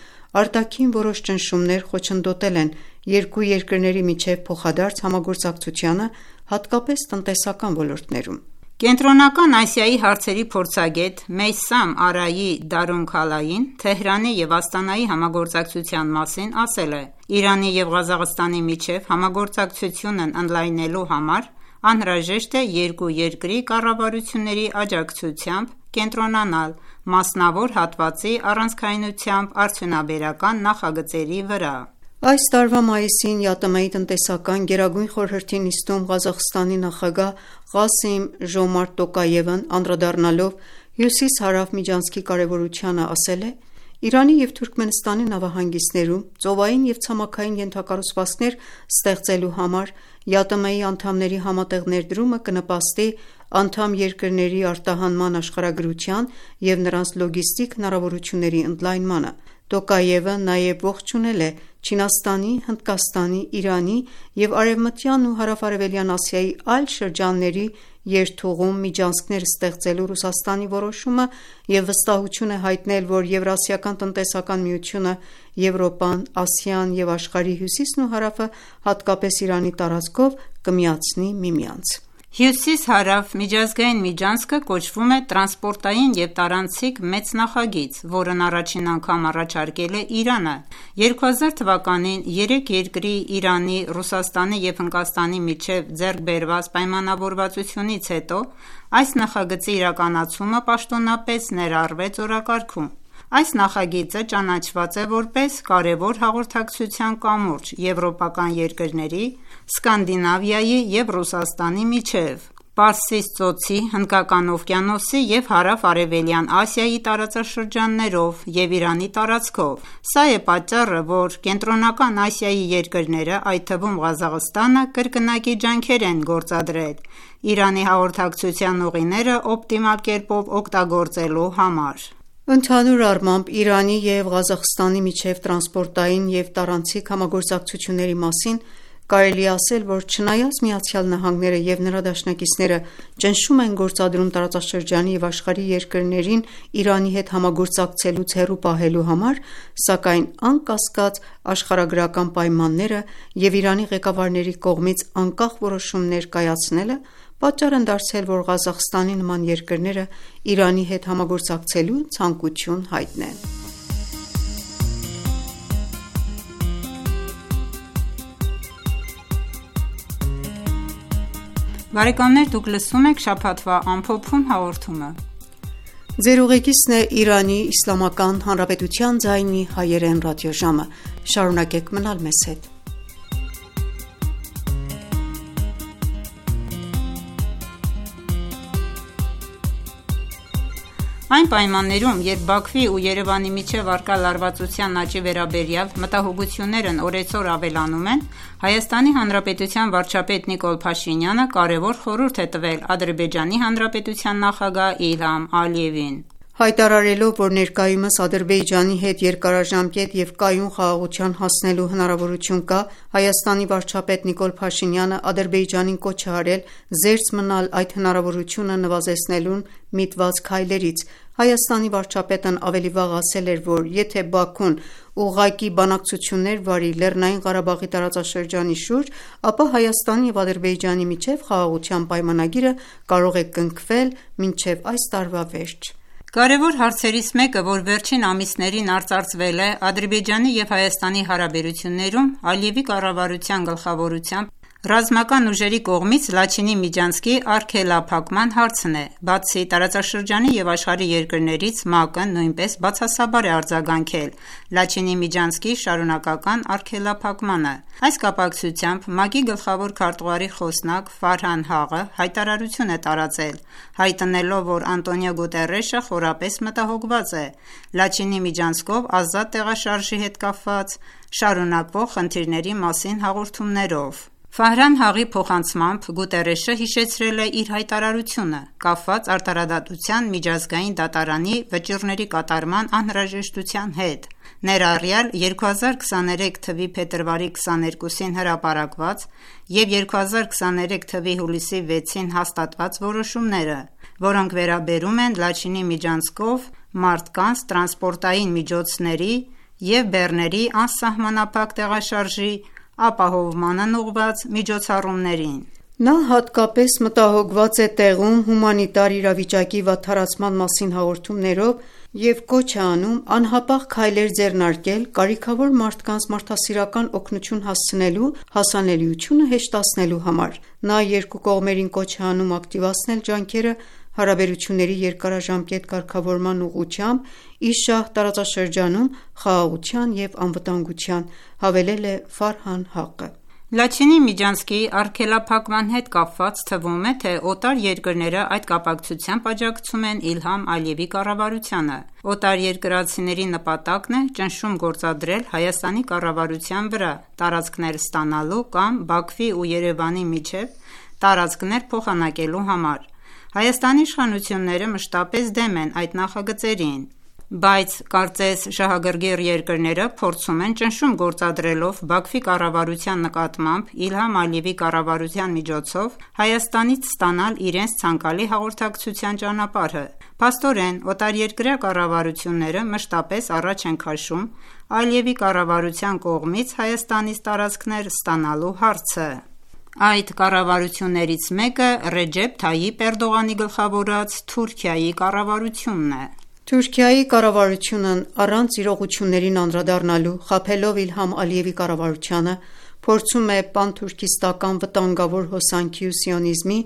արտաքին որոշ ճնշումներ խոչընդոտել են երկու երկրների միջև փոխադարձ համագործակցությանը, հատկապես տնտեսական ոլորտներում։ Կենտրոնական Ասիայի հարցերի փորձագետ Մեյսամ Արայի Դարունքալային Թեհրանի և Աստանայի համագործակցության մասին ասել է. «Իրանի և Ղազախստանի միջև համագործակցությունն ընդլայնելու համար անհրաժեշտ է երկու երկրի կառավարությունների աջակցությամբ կենտրոնանալ մասնավոր հատվածի առանցքայնությամբ արդյունաբերական նախագծերի վրա»։ Այս տարվա մայիսին ԵԱՏՄ-ի տնտեսական գերագույն խորհրդի նիստում Ղազախստանի նախագահ Ղասիմ Ժոմարտ Տոկաևն անդրադառնալով հյուսիս-հարավ միջանցքի կարևորությանը ասել է. «Իրանի և Թուրքմենստանի նավահանգիստներում ծովային և ցամաքային ենթակառուցվածքներ ստեղծելու համար ԵԱՏՄ-ի անդամների համատեղ ներդրումը կնպաստի անդամ երկրների արտահանման աշխարհագրության և նրանց լոգիստիկ հնարավորությունների ընդլայնմանը»։ Տոկաևը նաև ողջունել է Չինաստանի, Հնդկաստանի, Իրանի և Արևմտյան ու Հարավ-արևելյան Ասիայի այլ շրջանների երթուղում միջանցքներ ստեղծելու Ռուսաստանի որոշումը և վստահություն է հայտնել, որ Եվրասիական տնտեսական միությունը, Եվրոպան, Ասիան և աշխարհի հյուսիսն ու հարավը, հատկապես Իրանի տարածքով կմիացնի միմյանց։ Հյուսիս-հարավ միջազգային միջանցքը կոչվում է տրանսպորտային և տարանցիկ մեծ նախագիծ, որն առաջին անգամ առաջարկել է Իրանը։ 2000 թվականին երեք երկրի՝ Իրանի, Ռուսաստանի և Հնդկաստանի միջև ձեռք բերված պայմանավորվածությունից հետո այս նախագծի իրականացումը պաշտոնապես ներառվեց օրակարգում։ Այս նախագիծը ճանաչված է որպես կարևոր հաղորդակցության կամուրջ եվրոպական երկրների, Սկանդինավիայի և Ռուսաստանի միջև, Պարսից ծոցի, Հնդկական օվկիանոսի և Հարավ-արևելյան Ասիայի տարածաշրջաններով և Իրանի տարածքով։ Սա է պատճառը, որ Կենտրոնական Ասիայի երկրները, այդ թվում Ղազախստանը, կրկնակի ջանքեր են գործադրել Իրանի հաղորդակցության ուղիները օպտիմալ կերպով օգտագործելու համար։ Ընդհանուր առմամբ Իրանի և Ղազախստանի միջև տրանսպորտային և տարանցիկ համագործակցությունների մասին կարելի է ասել, որ չնայած ԱՄՆ-ը և նրա դաշնակիցները ճնշում են գործադրում տարածաշրջանի և աշխարհի երկրներին Իրանի հետ համագործակցելուց հեռու պահելու համար, սակայն անկասկած աշխարհագրական պայմանները և Իրանի ղեկավարների կողմից անկախ որոշումներ կայացնելը պատճառ են դարձել, որ Ղազախստանի նման երկրները Իրանի հետ համագործակցելու ցանկություն հայտնեն։ Բարեկամներ, դուք լսում եք «Շաբաթվա ամփոփում» հաղորդումը։ Ձեր ուղեկիցն է Իրանի Իսլամական Հանրապետության ձայնի հայերեն ռադիոժամը: Շարունակեք մնալ մեզ հետ: Այն պայմաններում, երբ Բաքվի ու Երևանի միջև առկա լարվածության աճի վերաբերյալ մտահոգություններն օրեցօր ավելանում են, Հայաստանի Հանրապետության վարչապետ Նիկոլ Փաշինյանը կարևոր խորհուրդ է տվել Ադրբեջանի Հանրապետության նախագահ Իլհամ Ալիևին: Հայտարարելով, որ ներկայումս Ադրբեջանի հետ երկարաժամկետ և կայուն խաղաղության հասնելու հնարավորություն կա, Հայաստանի վարչապետ Նիկոլ Փաշինյանը Ադրբեջանին կոչ է արել զերծ մնալ այդ հնարավորությունը նվազեցնելուն միտված քայլերից: Հայաստանի վարչապետն ավելի վաղ ասել էր, որ եթե Բաքուն ուղղակի բանակցություններ վարի Լեռնային Ղարաբաղի տարածաշրջանի շուրջ, ապա Հայաստանի և Ադրբեջանի միջև խաղաղության պայմանագիրը կարող է կնքվել մինչև այս տարվա վերջ: Կարևոր հարցերից մեկը, որ վերջին ամիսներին արծարծվել է Ադրբեջանի և Հայաստանի հարաբերություններում, Ալիևի կառավարության գլխավորությամբ ռազմական ուժերի կողմից Լաչինի միջանցքի արգելափակման հարցն է: Բացի տարածաշրջանի և աշխարհի երկրներից, ՄԱԿ-ը նույնպես բացասաբար է արձագանքել Լաչինի միջանցքի շարունակական արգելափակմանը: Այս կապակցությամբ ՄԱԿ-ի գլխավոր քարտուղարի խոսնակ Ֆարհան Հաղը հայտարարություն է տարածել, հայտնելով, որ Անտոնիո Գուտերեշը խորապես մտահոգված է Լաչինի միջանցքով ազատ տեղաշարժի հետ կապված շարունակվող խնդիրների մասին հաղորդումներով: Ֆարհան Հաղի փոխանցմամբ Գուտերեշը հիշեցրել է իր հայտարարությունը՝ կապված արդարադատության միջազգային դատարանի վճիռների կատարման անհրաժեշտության հետ, ներառյալ 2023 թվականի փետրվարի 22-ին հրապարակված և 2023 թվականի հուլիսի 6-ին հաստատված որոշումները, որոնք վերաբերում են Լաչինի միջանցքով մարդկանց, տրանսպորտային միջոցների և բեռների անսահմանափակ տեղաշարժի ապահովմանն ուղղված միջոցառումներին: Նա հատկապես մտահոգված է տեղում հումանիտար իրավիճակի վատթարացման մասին հաղորդումներով և կոչ է անում անհապաղ քայլեր ձեռնարկել կարիքավոր մարդկանց մարդասիրական օգնություն հասցնելու հասանելիությունը հեշտացնելու համար: Նա երկու կողմերին կոչ է անում ակտիվացնել ջանքերը հարաբերությունների երկարաժամկետ կարգավորման ուղղությամբ ի շահ տարածաշրջանում խաղաղության և անվտանգության, հավելել է Ֆարհան Հաղը: Լաչինի միջանցքի արգելափակման հետ կապված թվում է, թե օտար երկրները այդ կապակցությամբ աջակցում են Իլհամ Ալիևի կառավարությանը: Օտարերկրացիների նպատակն է ճնշում գործադրել Հայաստանի կառավարության վրա տարածքներ ստանալու կամ Բաքվի ու Երևանի միջև տարածքներ փոխանակելու համար: Հայաստանի իշխանությունները մշտապես դեմ են այդ նախագծերին, բայց կարծես շահագրգիռ երկրները փորձում են ճնշում գործադրելով Բաքվի կառավարության նկատմամբ Իլհամ Ալիևի կառավարության միջոցով Հայաստանից ստանալ իրենց ցանկալի հաղորդակցության ճանապարհը: Փաստորեն, օտարերկրյա կառավարությունները մշտապես առաջ են քաշում Ալիևի կառավարության կողմից Հայաստանից տարածքներ ստանալու հարցը: Այդ կառավարություններից մեկը Ռեջեփ Թայիպ Էրդողանի գլխավորած Թուրքիայի կառավարությունն է: Թուրքիայի կառավարությունն առանց իրողություններին անդրադառնալու, խաբելով Իլհամ Ալիևի կառավարությանը, փորձում է պանթուրքիստական վտանգավոր հոսանքի ու սիոնիզմի,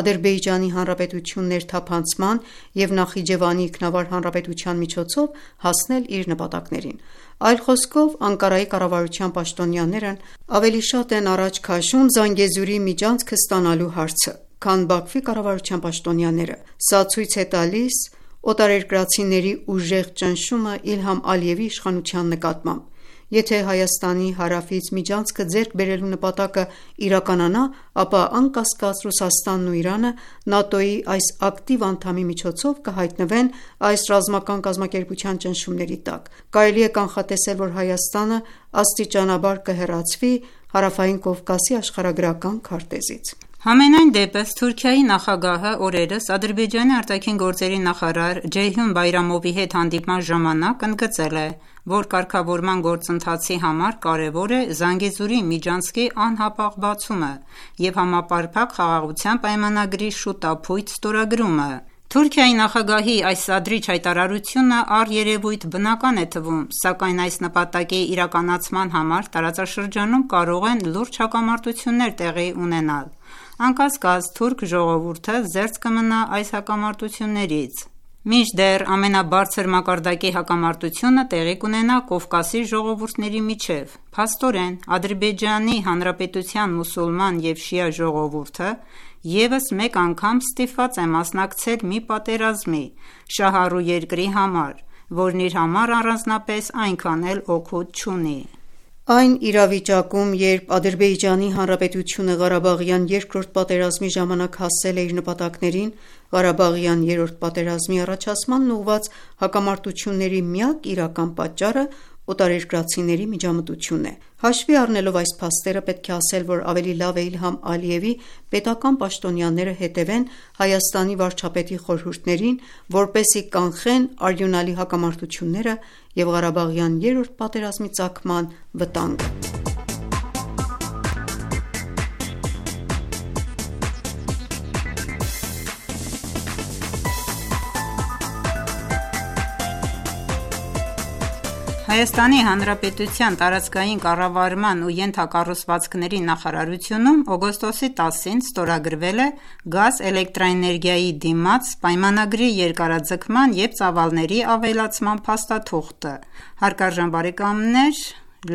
Ադրբեջանի Հանրապետություն ներթափանցման և Նախիջևանի ինքնավար հանրապետության միջոցով հասնել իր նպատակներին: Այլ խոսքով, Անկարայի կառավարության պաշտոնյաներն ավելի շատ են առաջ քաշում Զանգեզուրի միջանցքը ստանալու հարցը, քան Բաքվի կառավարության պաշտոնյաները: Սա ցույց է տալիս օտարերկրացիների ուժեղ ճնշումը Իլհամ Ալիևի իշխանության նկատմամբ: Եթե Հայաստանի հարավից միջանցքը ձեռք բերելու նպատակը իրականանա, ապա անկասկած Ռուսաստանն ու Իրանը ՆԱՏՕ-ի այս ակտիվ անդամի միջոցով կհայտնվեն այս ռազմական կազմակերպության ճնշումների տակ: Կարելի է կանխատեսել, որ Հայաստանը աստիճանաբար կհեռացվի Հարավային Կովկասի աշխարհագրական քարտեզից: Համենայն դեպս, Թուրքիայի նախագահը օրերս Ադրբեջանի ԱԳ նախարար Ջեյհուն Բայրամովի հետ հանդիպման ժամանակ ընդգծել է, որ կարգավորման գործընթացի համար կարևոր է Զանգեզուրի միջանցքի անհապաղ բացումը և համապարփակ խաղաղության պայմանագրի շուտափույթ ստորագրումը: Թուրքիայի նախագահի այս սադրիչ հայտարարությունը առերևույթ բնական է թվում, սակայն այս նպատակի իրականացման համար տարածաշրջանում կարող են լուրջ հակամարտություններ տեղի ունենալ: Անկասկած, թուրք ժողովուրդը զերծ կմնա այս հակամարտություններից: Մինչդեռ ամենաբարձր մակարդակի հակամարտությունը տեղի կունենա Կովկասի ժողովուրդների միջև։ Փաստորեն, Ադրբեջանի Հանրապետության մուսուլման և շիա ժողովուրդը ևս մեկ անգամ ստիպված է մասնակցել մի պատերազմի շահառու երկրի համար, որն իր համար առանձնապես այնքան էլ օգուտ չունի։ Այն իրավիճակում, երբ Ադրբեջանի Հանրապետությունը Ղարաբաղյան երկրորդ պատերազմի ժամանակ հասել է իր նպատակներին, Ղարաբաղյան երրորդ պատերազմի առաջացմանն ուղղված հակամարտությունների միակ իրական պատճառը օտարերկրացիների միջամտությունն է։ Հաշվի առնելով այս փաստերը, պետք է ասել, որ ավելի լավ է Իլհամ Ալիևի պետական պաշտոնյաները հետևեն Հայաստանի վարչապետի խորհուրդներին, որպեսզի կանխեն արյունալի հակամարտությունները և Ղարաբաղյան երրորդ պատերազմի ծագման վտանգը։ Հայաստանի Հանրապետության տարածքային կառավարման ու ենթակառուցվածքների նախարարությունում օգոստոսի 10-ին ստորագրվել է գազ էլեկտրաէներգիայի դիմաց պայմանագրի երկարաձգման և ծավալների ավելացման փաստաթուղթը։ Հարգարժան բարեկամներ,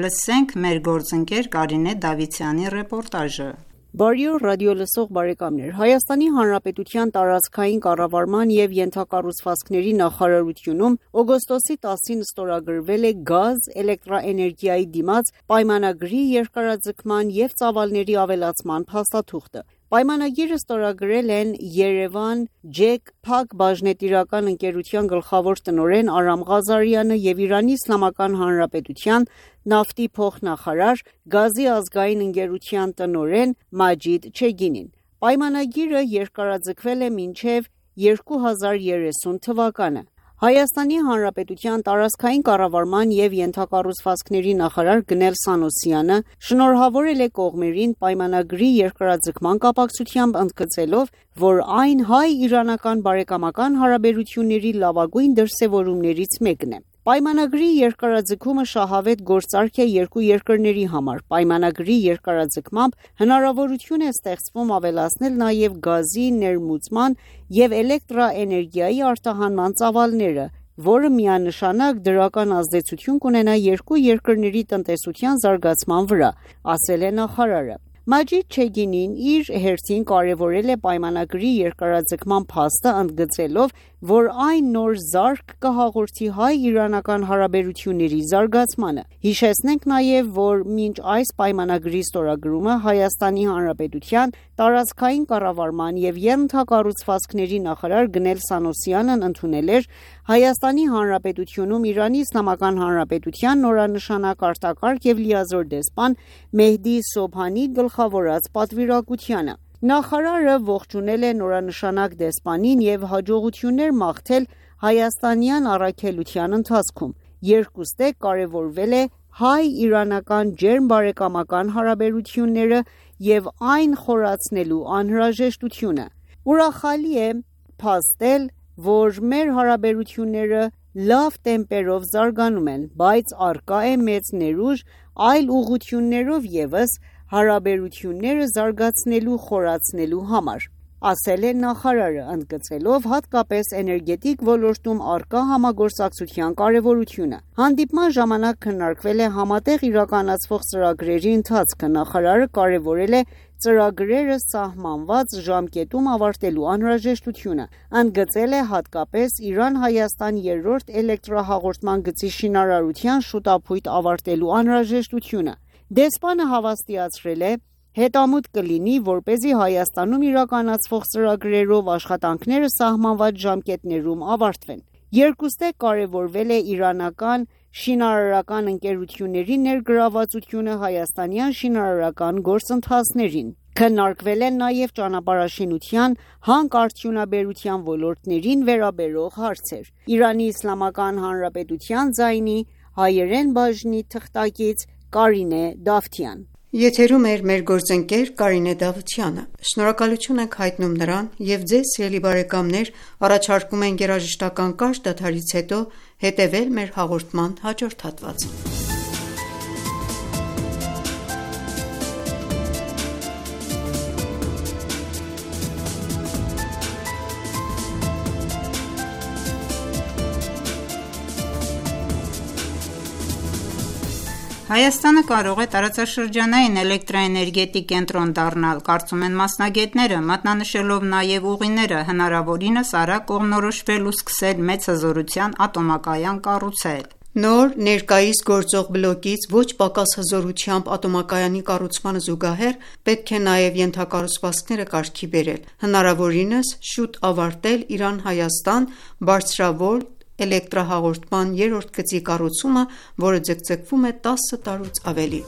լսենք մեր գործընկեր Կարինե Դավթյանի ռեպորտաժը։ Բարի օր ռադիոլսող բարեկամներ, Հայաստանի Հանրապետության տարածքային կառավարման և ենթակառուցվածքների նախարարությունում օգոստոսի 10-ին ստորագրվել է գազ էլեկտրաէներգիայի դիմաց պայմանագրի երկարաձգման և ծավալների ավելացման փաստաթուղթը։ Պայմանագիրը ստորագրել են Երևան ջեք Փակ բաժնետիրական ընկերության գլխավոր տնօրեն Արամ Ղազարյանը և Իրանի Իսլամական Հանրապետության նավթի փոխնախարար, գազի ազգային ընկերության տնօրեն Մաջիդ Չեգինին։ Պայմանագիրը երկարաձգվել է մինչև 2030 թվականը։ Հայաստանի Հանրապետության տարածքային կառավարման և ենթակառուցվածքների նախարար Գնել Սանոսյանը շնորհավորել է կողմերին պայմանագրի երկարաձգման կապակցությամբ, ընդգծելով, որ այն հայ-իրանական բարեկամական հարաբերությունների լավագույն դրսևորումներից մեկն է։ Պայմանագրի երկարաձգումը շահավետ գործարք է երկու երկրների համար։ Պայմանագրի երկարաձգմամբ հնարավորություն է ստեղծվում ավելացնել նաև գազի ներմուծման և էլեկտրաէներգիայի արտահանման ծավալները, որը միանշանակ դրական ազդեցություն կունենա երկու երկրների տնտեսության զարգացման վրա, ասել է նախարարը։ Մաջիդ Չեգինին իր հերթին կարևորել է պայմանագրի երկարաձգման փաստը, ընդգծելով, որ այն նոր զարկ կհաղորդի հայ-իրանական հարաբերությունների զարգացմանը։ Հիշեցնենք նաև, որ մինչ այս պայմանագրի ստորագրումը Հայաստանի Հանրապետության տարածքային կառավարման և ենթակառուցվածքների նախարար Գնել Սանոսյանն ընդունել էր Հայաստանի Հանրապետությունում Իրանի Իսլամական Հանրապետության նորանշանակ արտակարգ և լիազոր դեսպան Մեհդի Սոբհանի գլխավորած պատվիրակությանը։ Նախարարը ողջունել է նորանշանակ դեսպանին և հաջողություններ մաղթել հայաստանյան առաքելության ընթացքում։ Երկուստեք կարևորվել է հայ-իրանական ջերմ բարեկամական հարաբերությունները և այն խորացնելու անհրաժեշտությունը։ Ուրախալի է փաստել, որ մեր հարաբերությունները լավ տեմպերով զարգանում են, բայց առկա է մեծ ներուժ այլ ուղղություններով ևս հարաբերությունները զարգացնելու խորացնելու համար, ասել է նախարարը, ընդգծելով հատկապես էներգետիկ ոլորտում առկա համագործակցության կարևորությունը։ Հանդիպման ժամանակ քննարկվել է համատեղ իրականացվող ծրագրերի ընթացքը։ Նախարարը կարևորել է ծրագրերը սահմանված ժամկետում ավարտելու անհրաժեշտությունը, ընդգծել է հատկապես Իրան-Հայաստան երրորդ էլեկտրահաղորդման գծի շինարարության շուտապույտ ավարտելու անհրաժեշտությունը։ Դեսպանը հավաստիացրել է, հետամուտ կլինի, որպեսզի Հայաստանում իրականացվող ծրագրերով աշխատանքները սահմանված ժամկետներում ավարտվեն։ Երկուստեք կարևորվել է իրանական շինարարական ընկերությունների ներգրավվածությունը հայաստանյան շինարարական գործընթացներին։ Քննարկվել են նաև ճանապարհաշինության, հանքարդյունաբերության ոլորտներին վերաբերող հարցեր։ Իրանի Իսլամական Հանրապետության ձայնի հայերեն բաժնի թղթակից Կարինե Դավթյան։ Եթերում էր մեր գործընկեր Կարինե Դավթյանը։ Շնորհակալություն ենք հայտնում նրան և ձեզ, սիրելի բարեկամներ, առաջարկում ենք երաժշտական կարճ դադարից հետո հետևել մեր հաղորդման հաջորդ հատվածին։ Հայաստանը կարող է տարածաշրջանային էլեկտրաէներգետիկ կենտրոն դառնալ, կարծում են մասնագետները, մատնանշելով նաև ուղիները հնարավորինս արագ կողմնորոշվել ու սկսել մեծ հզորության ատոմակայան կառուցել։ Նոր ներկայիս գործող բլոկից ոչ պակաս հզորությամբ ատոմակայանի կառուցմանը զուգահեռ պետք է նաև ենթակառուցվածքները կարգի բերել, հնարավորինս շուտ ավարտել Իրան-Հայաստան բարձրավոլտ էլեկտրահաղորդման երրորդ գծի կառուցումը, որը ձգձգվում է 10 տարուց ավելի։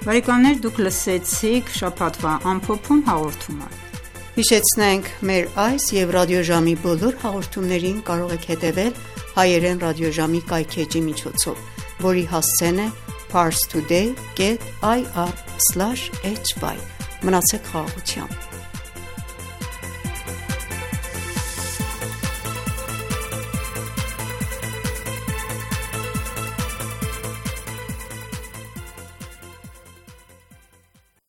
Բարեկամներ, դուք լսեցիք շաբաթվա ամփոփում հաղորդումը։ Հիշեցնենք, մեր այս եւ ռադիոժամի բոլոր հաղորդումներին կարող եք հետևել հայերեն ռադիոժամի կայքէջի միջոցով, որի հասցեն է parstoday.ir/hy։ Մնացեք խաղաղությամբ։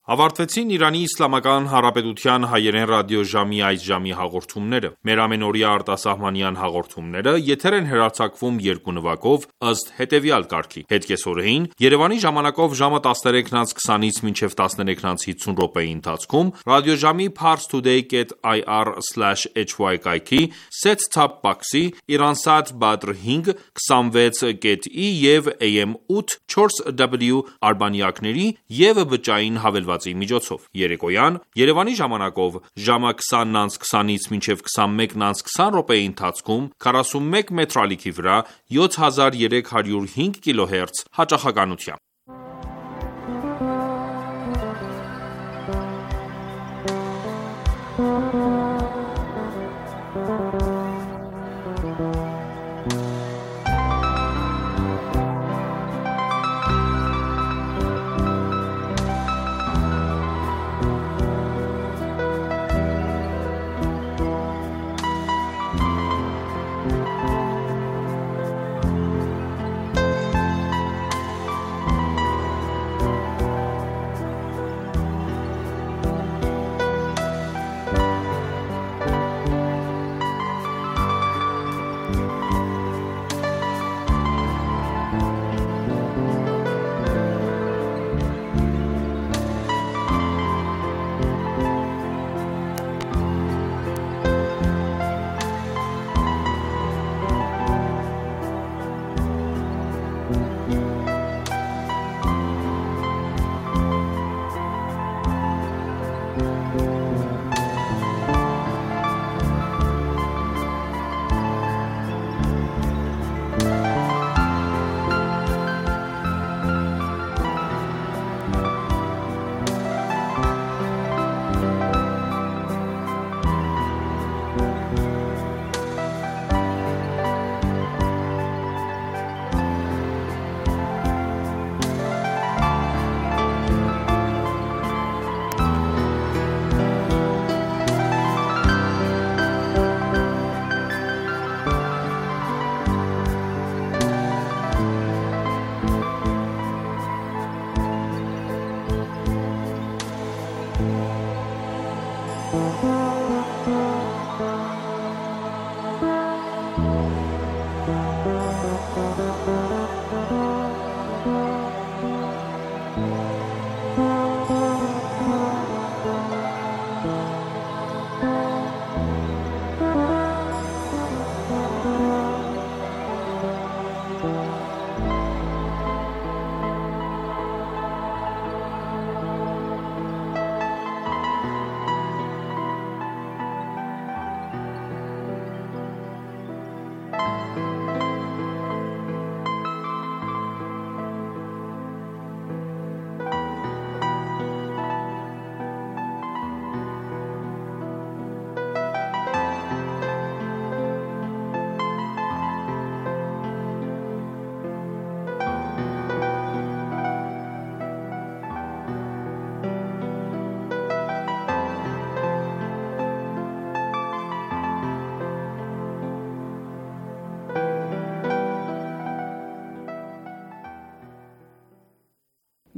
Ավարտվեցին Իրանի Իսլամական Հանրապետության հայերեն ռադիոժամի այս ժամի հաղորդումները։ Մեր ամենօրյա արտասահմանյան հաղորդումները եթեր են հեռարձակվում երկու նվագով ըստ հետևյալ կարգի. Հետկեսօրեին Երևանի ժամանակով ժամը 13:20-ից մինչև 13:50 րոպեի ընթացքում ռադիոժամի parstoday.ir/hy կայքի set-top box-ի Iransat Badr 5 26.i եւ AM 8 4W արբանյակների եւ բջջային հավելվածի միջոցով։ Երեկոյան Երևանի ժամանակով ժամը 20:20-ից մինչև 21:20 րոպեի ընթացքում 41 մետրալիքի վրա 7305 կիլոհերց հաճախականությամբ։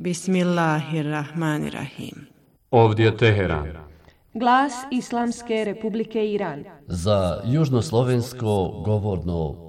Bismillahirrahmanirrahim. Ovdje Teheran. Glas Islamske Republike Iran. Za Južnoslovensko govorno